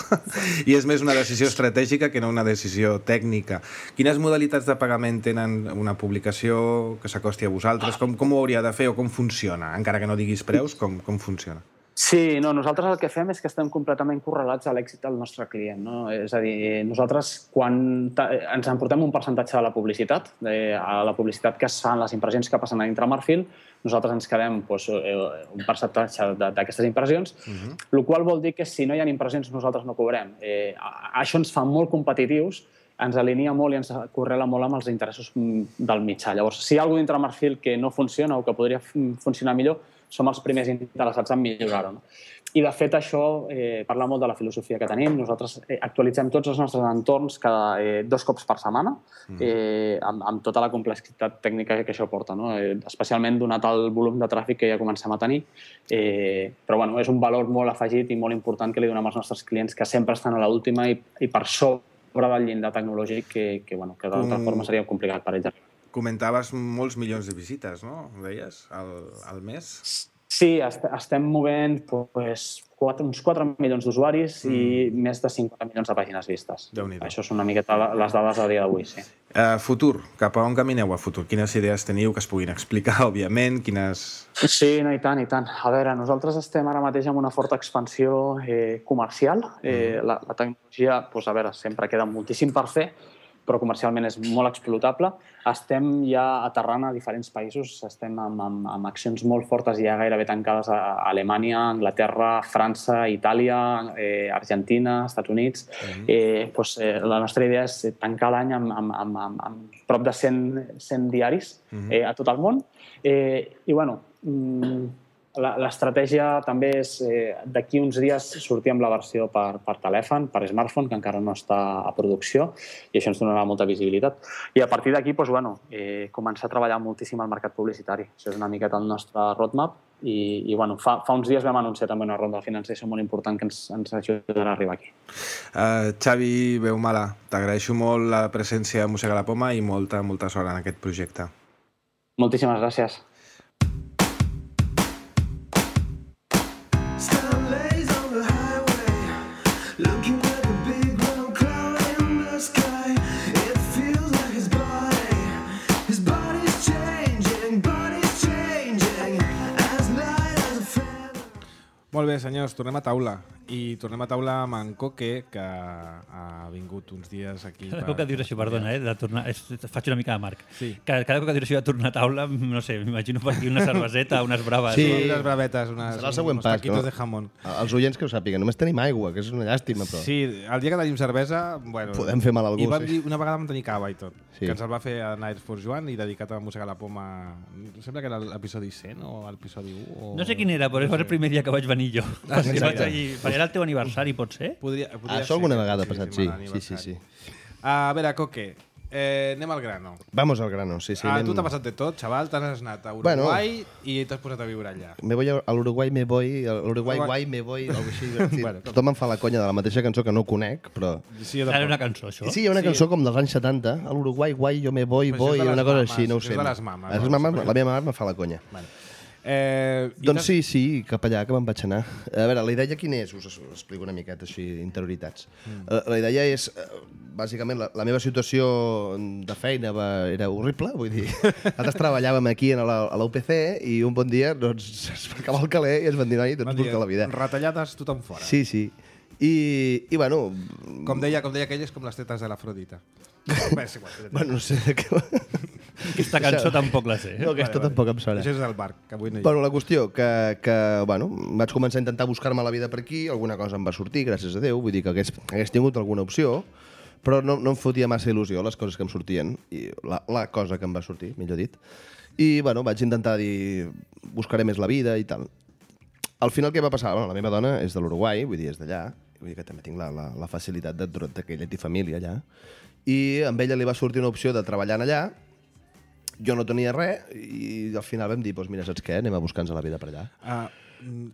i és més una decisió estratègica que no una decisió tècnica. Quines modalitats de pagament tenen una publicació que s'acosti a vosaltres? Com, com ho hauria de fer o com funciona? Encara que no diguis preus, com, com funciona? Sí, no, nosaltres el que fem és que estem completament correlats a l'èxit del nostre client. No? És a dir, nosaltres quan ens emportem un percentatge de la publicitat, de, a la publicitat que es fan, les impressions que passen a dintre Marfil, nosaltres ens quedem doncs, un percentatge d'aquestes impressions, uh-huh. el qual vol dir que si no hi ha impressions nosaltres no cobrem. Eh, això ens fa molt competitius, ens alinea molt i ens correla molt amb els interessos del mitjà. Llavors, si hi ha alguna cosa dintre Marfil que no funciona o que podria funcionar millor, som els primers interessats en millorar-ho. No? I, de fet, això eh, parla molt de la filosofia que tenim. Nosaltres eh, actualitzem tots els nostres entorns cada eh, dos cops per setmana, eh, amb, amb tota la complexitat tècnica que això porta, no? eh, especialment donat el volum de tràfic que ja comencem a tenir. Eh, però bueno, és un valor molt afegit i molt important que li donem als nostres clients, que sempre estan a l'última i, i per sobre del llindar tecnològic que, que, bueno, que d'altra forma seria complicat per ells. Comentaves molts milions de visites, no? Ho deies, al, al mes? Sí, est estem movent pues, quatre, uns quatre milions d'usuaris mm. i més de cinquanta milions de pàgines vistes. Això són una miqueta les dades a dia d'avui, sí. Uh, futur, cap a on camineu a futur? Quines idees teniu que es puguin explicar, òbviament? Quines... Sí, no, i tant, i tant. A veure, nosaltres estem ara mateix amb una forta expansió eh, comercial. Eh, mm. la, la tecnologia, pues, a veure, sempre queda moltíssim per fer, però comercialment és molt explotable. Estem ja aterrant a diferents països, estem amb, amb, amb accions molt fortes ja gairebé tancades a Alemanya, Anglaterra, França, Itàlia, eh, Argentina, Estats Units. Mm-hmm. eh, doncs, eh, la nostra idea és tancar l'any amb, amb, amb, amb, amb prop de cent, cent diaris mm-hmm. eh, a tot el món. Eh, I, bueno, l'estratègia també és eh, d'aquí uns dies sortir amb la versió per, per telèfon, per smartphone, que encara no està a producció, i això ens donarà molta visibilitat. I a partir d'aquí, doncs, bueno, eh, començar a treballar moltíssim al mercat publicitari. Això és una miqueta el nostre roadmap i, i bueno, fa, fa uns dies vam anunciar també una ronda de finançació molt important que ens, ens ajudarà a arribar aquí. Uh, Xavi Beumala, t'agraeixo molt la presència de Mossega la Poma i molta, molta sort en aquest projecte. Moltíssimes gràcies. Molt bé, senyors, tornem a taula. I tornem a taula amb en Coque, que ha vingut uns dies aquí. Cada cop que dius això, perdona, eh, de tornar, és, faig una mica de marc. Sí. Cada, cada cop que dius això de tornar a taula, no sé, m'imagino per aquí una cerveseta, unes braves. Sí, o... unes bravetes, unes, serà el següent uns pas, taquitos no? de jamón. Els oients que ho sàpiguen, només tenim aigua, que és una llàstima, però... Sí, el dia que tenim cervesa, bueno... Podem fer mal a algú, I vam sí. dir, una vegada vam tenir cava i tot, sí. que ens el va fer a Night for Joan i dedicat a Mossegar la Poma... Sembla que era l'episodi cent o l'episodi u. O... No sé quin era, però és el primer dia que vaig venir jo. Ah, sí, vaig allí, era el teu aniversari, pot ser? Podria, podria Això alguna vegada ha sí, passat, sí. Sí, sí, sí, sí. A veure, Coque, Eh, anem al grano. Vamos al grano, sí, sí. Ah, anem... tu t'ha passat de tot, xaval, t'has anat a Uruguai bueno, i t'has posat a viure allà. Me voy a l'Uruguai, me voy, a l'Uruguai, guai, me voy, algo així. Sí. Bueno, tothom em fa la conya de la mateixa cançó que no conec, però... Sí, hi ha una cançó, això? Sí, hi ha una sí. cançó com dels anys setanta, a l'Uruguai, guai, jo me voy, voy, una cosa mames, així, no ho sé. És de les mames. Les mames la meva mare me fa la conya. Vale. Eh, doncs sí, sí, cap allà que me'n vaig anar. A veure, la idea quina és? Us explico una miqueta així, interioritats. Mm. La, la idea és, bàsicament, la, la meva situació de feina va, era horrible, vull dir, nosaltres treballàvem aquí a la, a la U P C i un bon dia doncs, es va acabar el caler i es van dir, noi, doncs busca la vida. Retallades tothom fora. Sí, sí. I, i bueno... Com deia, com deia aquell, és com les tetes de l'Afrodita. Bé, és igual. Bueno, no sé de què va... Aquesta cançó tampoc la sé. Eh? No, aquesta vale, tampoc vale. em sona. Això és el Marc, que avui no hi ha. Bueno, la qüestió, que, que bueno, vaig començar a intentar buscar-me la vida per aquí, alguna cosa em va sortir, gràcies a Déu, vull dir que hagués, hagués tingut alguna opció, però no, no em fotia massa il·lusió les coses que em sortien, i la, la cosa que em va sortir, millor dit. I, bueno, vaig intentar dir, buscaré més la vida i tal. Al final què va passar? Bueno, la meva dona és de l'Uruguai, vull dir, és d'allà, vull dir que també tinc la, la, la facilitat de, de que ella té família allà, i amb ella li va sortir una opció de treballar allà. Jo no tenia res i al final vam dir, doncs mira, saps què? Anem a buscar-nos la vida per allà. Uh,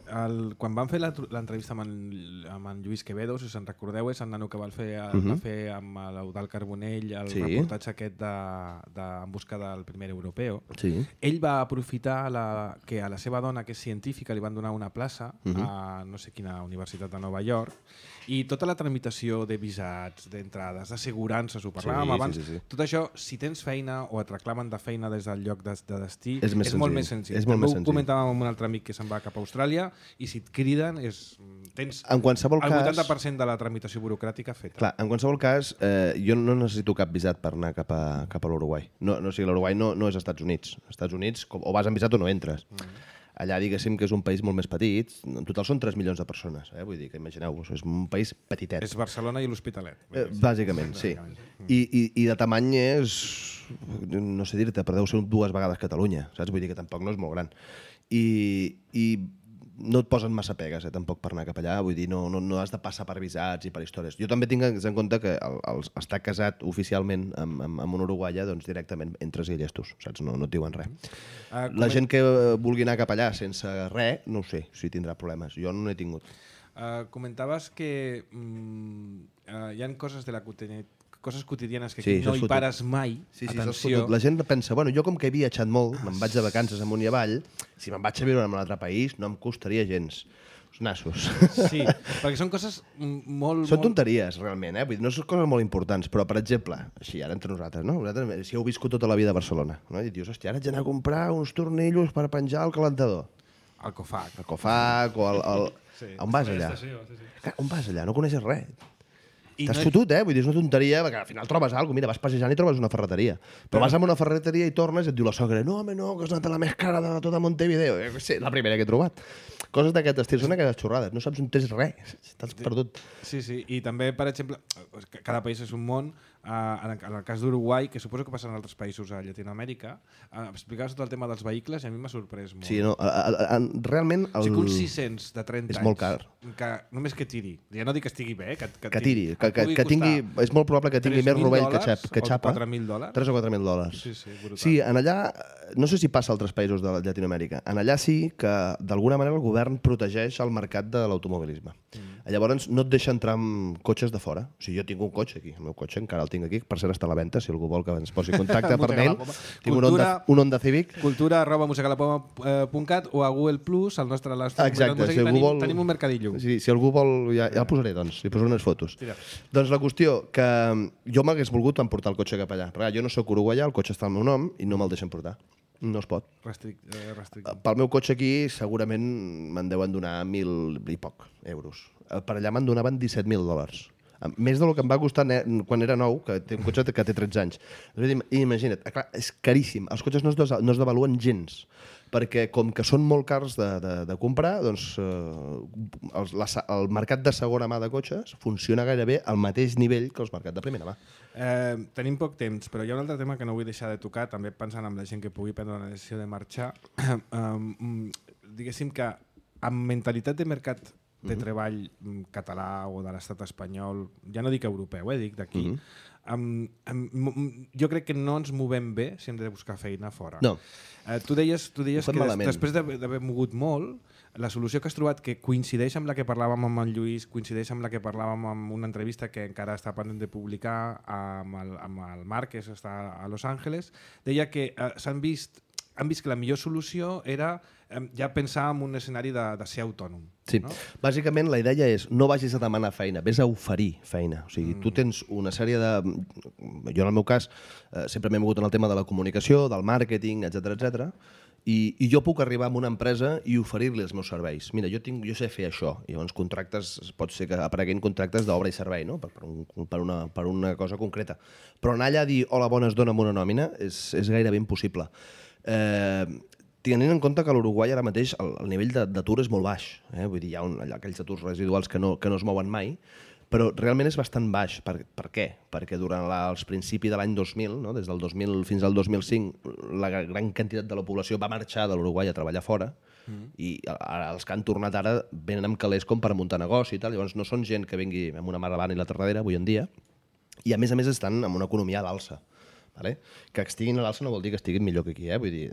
el, quan van fer l'entrevista amb, en, amb en Lluís Quevedo, si us en recordeu, és el nano que va fer, uh -huh. va fer amb l'Eudald Carbonell el sí. reportatge aquest de, de, en busca del primer europeu. Sí. Ell va aprofitar la, que a la seva dona, que és científica, li van donar una plaça uh -huh. a no sé quina universitat de Nova York, i tota la tramitació de visats, d'entrades, d'assegurances, ho parlàvem sí, abans, sí, sí, sí. tot això, si tens feina o et reclamen de feina des del lloc de, de destí, és, més és molt més senzill. És molt També més ho senzill. comentàvem amb un altre amic que se'n va cap a Austràlia i si et criden és, tens en qualsevol el cas, vuitanta per cent de la tramitació burocràtica feta. Clar, en qualsevol cas, eh, jo no necessito cap visat per anar cap a, cap a l'Uruguai. No, no, o sigui, l'Uruguai no, no és Estats Units. Als Estats Units, com, o vas amb visat o no entres. Mm. Allà, diguéssim, que és un país molt més petit. En total són tres milions de persones. Eh? Vull dir que imagineu-vos, és un país petitet. És Barcelona i l'Hospitalet. Eh, bàsicament, sí. I, i, I de tamany és, no sé dir-te, però deu ser dues vegades Catalunya, saps? Vull dir que tampoc no és molt gran. I, i no et posen massa pegues, eh, tampoc, per anar cap allà. Vull dir, no, no, no has de passar per visats i per històries. Jo també tinc en compte que el, el, estar casat oficialment amb, amb, amb un uruguaia, doncs directament entres i llestos, saps? No, no et diuen res. Uh, La gent que vulgui anar cap allà sense res, no ho sé, si tindrà problemes. Jo no n'he tingut. Uh, comentaves que mm, uh, hi ha coses de la quotidianitat, coses quotidianes que sí, aquí no hi fotut. Pares mai. Sí, sí, atenció. La gent pensa, bueno, jo com que he viatjat molt, me'n vaig de vacances amunt i avall, si me'n vaig a viure en un altre país no em costaria gens. Els nassos. Sí, perquè són coses molt... Són molt... tonteries, realment, eh? Vull dir, no són coses molt importants, però, per exemple, així, ara entre nosaltres, no? Nosaltres, si heu viscut tota la vida a Barcelona, no? I dius, hòstia, ara haig d'anar a comprar uns tornillos per penjar al calentador. El Cofac. El Cofac o el... el... Sí. On vas allà? Sí, sí, sí. On vas allà? No coneixes res. T'has no... fotut, eh? Vull dir, és una tonteria, perquè al final trobes alguna cosa. Mira, vas passejant i trobes una ferreteria. Però, però vas a una ferreteria i tornes i et diu la sogra, no, home, no, que has anat a la més cara de tota Montevideo. Eh, sí, la primera que he trobat. Coses d'aquest estil, són aquelles xorrades. No saps on tens res, t'has perdut. Sí, sí, i també, per exemple, cada país és un món. Uh, en, el, en el cas d'Uruguai, que suposo que passa en altres països a Llatinoamèrica, uh, explicaves tot el tema dels vehicles i a mi m'ha sorprès molt. Sí, no, a, a, a, realment... El... O sigui, un sis-cents de trenta és anys... molt car. Que, només que tiri. Ja no dic que estigui bé, que, que, que tiri. Que, que, que tingui, és molt probable que tingui més rovell que, xap, que xapa. quatre mil dòlars? tres o quatre mil dòlars. Sí, sí, brutal. Sí, en allà, no sé si passa a altres països de Llatinoamèrica, en allà sí que d'alguna manera el govern protegeix el mercat de l'automobilisme. Mm. Llavors no et deixa entrar amb cotxes de fora. O sigui, jo tinc un cotxe aquí, el meu cotxe encara el tinc aquí, per cert està a la venda, si algú vol que ens posi en contacte per mail. Tinc un Honda, un Honda Civic. Cultura arroba musegalapoma punt cat o a Google Plus, al nostre... Exacte, si algú tenim, vol... tenim un mercadillo. Sí, si algú vol, ja, ja el posaré, doncs, li posaré unes fotos. Tira. Doncs la qüestió, que jo m'hagués volgut emportar el cotxe cap allà, perquè jo no soc uruguaià, el cotxe està al meu nom i no me'l deixen portar. No es pot. Restric, eh, restric. Pel meu cotxe aquí segurament me'n deuen donar mil i poc euros. Per allà me'n donaven disset mil dòlars. Més del que em va costar quan era nou, que té un cotxe que té tretze anys. Imagina't, clar, és caríssim. Els cotxes no es, no es devaluen gens, perquè com que són molt cars de, de, de comprar, doncs eh, el, la, el mercat de segona mà de cotxes funciona gairebé al mateix nivell que el mercat de primera mà. Eh, tenim poc temps, però hi ha un altre tema que no vull deixar de tocar, també pensant en la gent que pugui prendre la decisió de marxar. Eh, diguéssim que amb mentalitat de mercat de treball català o de l'estat espanyol, ja no dic europeu, eh, dic d'aquí, uh -huh. um, um, jo crec que no ens movem bé si hem de buscar feina fora. No. Uh, tu deies, tu deies que des, malament. després d'haver mogut molt, la solució que has trobat, que coincideix amb la que parlàvem amb en Lluís, coincideix amb la que parlàvem en una entrevista que encara està pendent de publicar amb el, amb el Marc, que està a Los Angeles, deia que uh, s'han vist han vist que la millor solució era eh, ja pensar en un escenari de, de ser autònom. Sí, no? Bàsicament la idea és no vagis a demanar feina, vés a oferir feina. O sigui, mm. tu tens una sèrie de... Jo en el meu cas eh, sempre m'he mogut en el tema de la comunicació, del màrqueting, etcètera, etcètera. I, i jo puc arribar a una empresa i oferir-li els meus serveis. Mira, jo, tinc, jo sé fer això. I llavors contractes, pot ser que apareguin contractes d'obra i servei, no? per, per, un, per, una, per una cosa concreta. Però anar allà a dir hola, bones, dona'm una nòmina és, és gairebé impossible. Eh, tenint en compte que a l'Uruguai ara mateix el, el nivell d'atur és molt baix. Eh? Vull dir, hi ha un, aquells aturs residuals que no, que no es mouen mai, però realment és bastant baix. Per, per què? Perquè durant la, els principis de l'any dos mil, no? Des del dos mil fins al dos mil cinc, la gran quantitat de la població va marxar de l'Uruguai a treballar fora, mm. i ara, els que han tornat ara venen amb calés com per muntar negoci i tal. Llavors no són gent que vingui amb una mà davant i l'altra darrere avui en dia, i a més a més estan amb una economia a l'alça. Vale? Que estiguin a l'alça no vol dir que estiguin millor que aquí. Eh? Vull dir,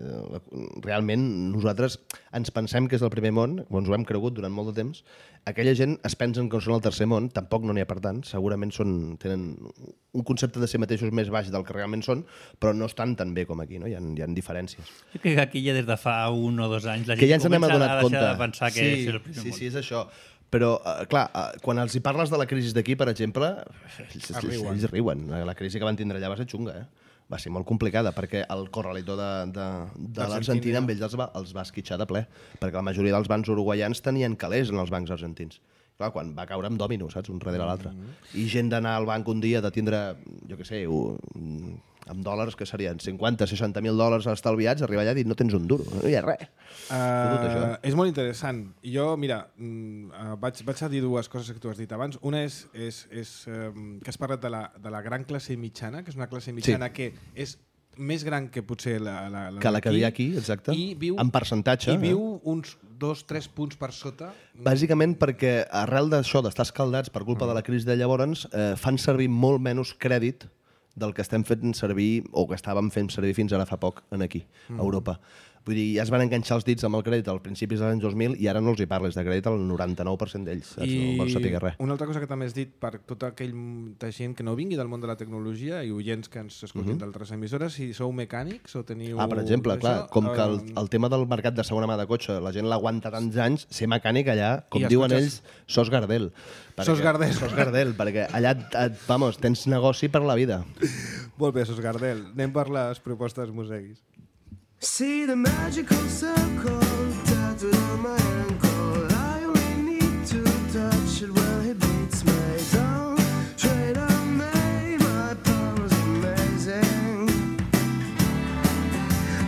realment nosaltres ens pensem que és el primer món, ens ho hem cregut durant molt de temps. Aquella gent es pensen que són el tercer món, tampoc no n'hi ha per tant, segurament són, tenen un concepte de si mateixos més baix del que realment són, però no estan tan bé com aquí, no? Hi ha, hi ha diferències. Jo crec que aquí ja des de fa un o dos anys la gent ja comença a deixar de pensar que sí, és el primer sí, món. Sí, és això. Però, uh, clar, uh, quan els hi parles de la crisi d'aquí, per exemple, ells, ells, ells riuen. La crisi que van tindre allà va ser xunga, eh? Va ser molt complicada, perquè el corralito de, de, de l'Argentina amb ells els va, els va esquitxar de ple, perquè la majoria dels bancs uruguaians tenien calés en els bancs argentins. Clar, quan va caure amb dòmino, saps? Un darrere l'altre. Mm-hmm. I gent d'anar al banc un dia de tindre, jo què sé, un, amb dòlars que serien cinquanta, seixanta mil dòlars estalviats, arribar allà i dir no tens un duro, no hi ha res. Uh, és molt interessant. Jo, mira, uh, vaig, vaig a dir dues coses que tu has dit abans. Una és, és, és um, que has parlat de la, de la gran classe mitjana, que és una classe mitjana sí. que és més gran que potser la, la, la que la que hi ha aquí, exacte, i viu, en percentatge. I viu eh? uns dos, tres punts per sota. Bàsicament perquè arrel d'això, d'estar escaldats per culpa mm. de la crisi de llavors, eh, fan servir molt menys crèdit del que estem fent servir, o que estàvem fent servir fins ara fa poc en aquí, a Europa. Vull dir, ja es van enganxar els dits amb el crèdit al principis dels anys dos mil i ara no els hi parles de crèdit al noranta-nou per cent d'ells. I no vols saber res. Una altra cosa que també has dit per tota aquella gent que no vingui del món de la tecnologia i oients que ens escoltin uh -huh. d'altres emissores, si sou mecànics o teniu... Ah, per exemple, clar, com que el, el tema del mercat de segona mà de cotxe, la gent l'aguanta tants anys, ser mecànic allà, com diuen cotxes... ells, sos Gardel. Sos Gardel. Sos Gardel, perquè allà, et, vamos, tens negoci per la vida. Molt bé, sos Gardel. Anem per les propostes museguis. See the magical circle tattooed on my ankle. I only need to touch it when it beats me down. Trade on me, my power's amazing.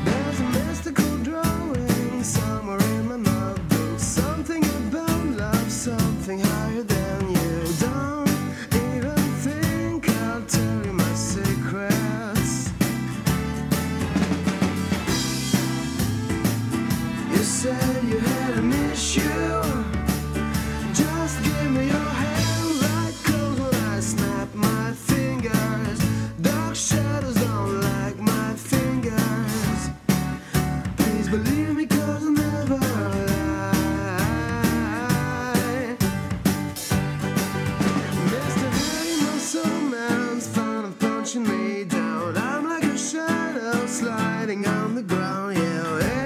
There's a mystical drawing somewhere in my notebook. Something about love, something higher than you. Don't even think I'll tell you my secrets. You said you had an issue. Just give me your hand, like cold when I snap my fingers. Dark shadows don't like my fingers. Please believe me, cause I'll never lie. Mister Harry, my soul man's fond of punching me down. I'm like a shadow sliding on the ground, yeah, yeah.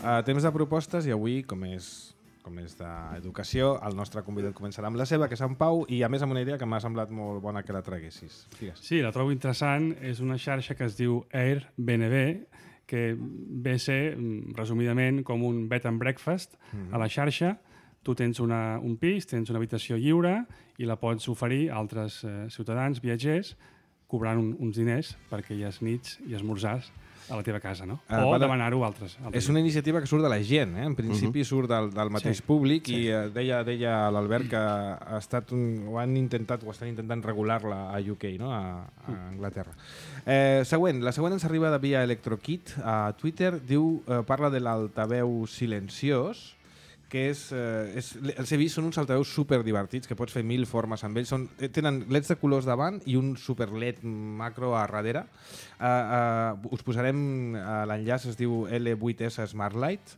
Uh, temps de propostes i avui, com és, com és d'educació, el nostre convidat començarà amb la seva, que és en Pau, i a més amb una idea que m'ha semblat molt bona que la traguessis. Digues. Sí, la trobo interessant. És una xarxa que es diu Airbnb, que ve a ser, resumidament, com un bed and breakfast mm-hmm. a la xarxa. Tu tens una, un pis, tens una habitació lliure i la pots oferir a altres eh, ciutadans, viatgers, cobrant un, uns diners perquè hi ha nits i esmorzars a la teva casa, no? Uh, o demanar-ho a altres, altres. És una iniciativa que surt de la gent, eh? En principi uh -huh. surt del, del mateix sí, públic sí. i uh, deia, deia l'Albert que ha estat un, ho han intentat o estan intentant regular-la a U K, no? a, a Anglaterra. Eh, següent, la següent ens arriba de via ElectroKit a Twitter, diu, eh, parla de l'altaveu silenciós, que és, eh, és, els he vist, són uns altaveus super divertits, que pots fer mil formes amb ells. Són, tenen leds de colors davant i un super led macro a darrere. Uh, uh, us posarem uh, l'enllaç, es diu L vuit S Smart Light.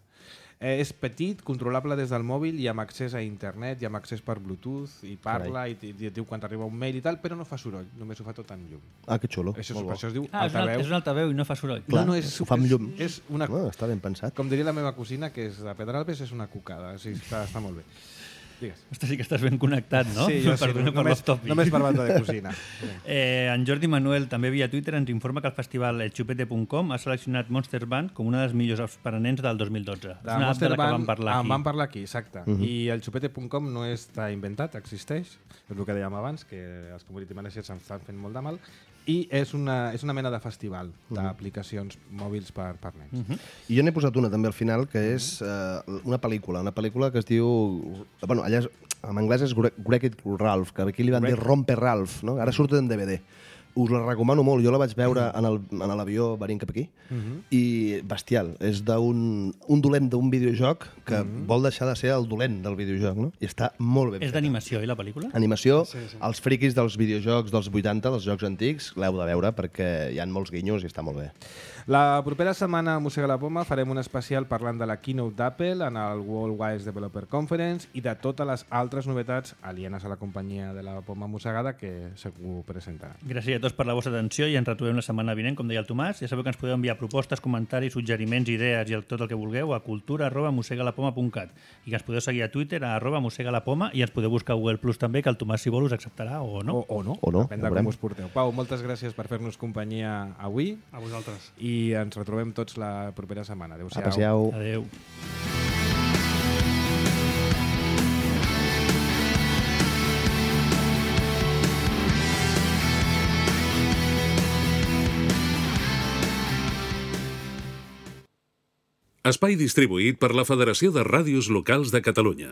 Eh, és petit, controlable des del mòbil i amb accés a internet, i amb accés per Bluetooth, i parla, i, i, i et diu quan t'arriba un mail i tal, però no fa soroll, només ho fa tot en llum. Ah, que xulo. Això, Molt per bo. això es diu Ah, és un, altaveu. alt- és un altaveu i no fa soroll. Clar, no, no, és, ho fa amb llum. És, és una, Ah, està ben pensat. com diria la meva cosina, que és de Pedralbes, és una cucada. O sigui, està, està molt bé. Digues. Ostres, sí que estàs ben connectat, no? Sí, jo sí, Perdona per només, l'off-topic. només per banda de cosina. Eh, en Jordi Manuel, també via Twitter, ens informa que el festival el xupete punt com ha seleccionat Monster Band com una de les millors apps per a nens del dos mil dotze. De És una app de Monster la que Band, vam parlar en aquí. vam parlar aquí, exacte. Uh -huh. I el xupete punt com no està inventat, existeix. És el que dèiem abans, que els community managers estan fent molt de mal. I és una, és una mena de festival d'aplicacions mòbils per, per nens. Uh -huh. I jo n'he posat una també al final, que és uh, una pel·lícula, una pel·lícula que es diu... Bueno, allà és, en anglès és Wreck-It Ralph, que aquí li van dir Romper Ralph, no? Ara surt en D V D. Us la recomano molt. Jo la vaig veure en el- en l'avió venint cap aquí i bestial. És d'un un dolent d'un videojoc que vol deixar de ser el dolent del videojoc, no? I està molt ben És feta. d'animació, i la pel·lícula? Animació, Sí, sí. els friquis dels videojocs dels vuitanta, dels jocs antics, l'heu de veure perquè hi ha molts guinyos i està molt bé. La propera setmana a Mossega la Poma farem un especial parlant de la keynote d'Apple en el World Wide Developer Conference i de totes les altres novetats alienes a la companyia de la Poma Mossegada que segur presentarà. Gràcies a tots per la vostra atenció i ens retrobem la setmana vinent, com deia el Tomàs. Ja sabeu que ens podeu enviar propostes, comentaris, suggeriments, idees i el, tot el que vulgueu a cultura arroba mossegalapoma punt cat i que ens podeu seguir a Twitter a arroba mossegalapoma i ens podeu buscar a Google Plus també, que el Tomàs, si vol, us acceptarà o no. O, o no, O no, depèn ja de veurem. com us porteu. Pau, moltes gràcies per fer-nos companyia avui A vosaltres. i ens retrobem tots la propera setmana. Adéu-siau. Apreciau. Adéu. Espai distribuït per la Federació de Ràdios Locals de Catalunya.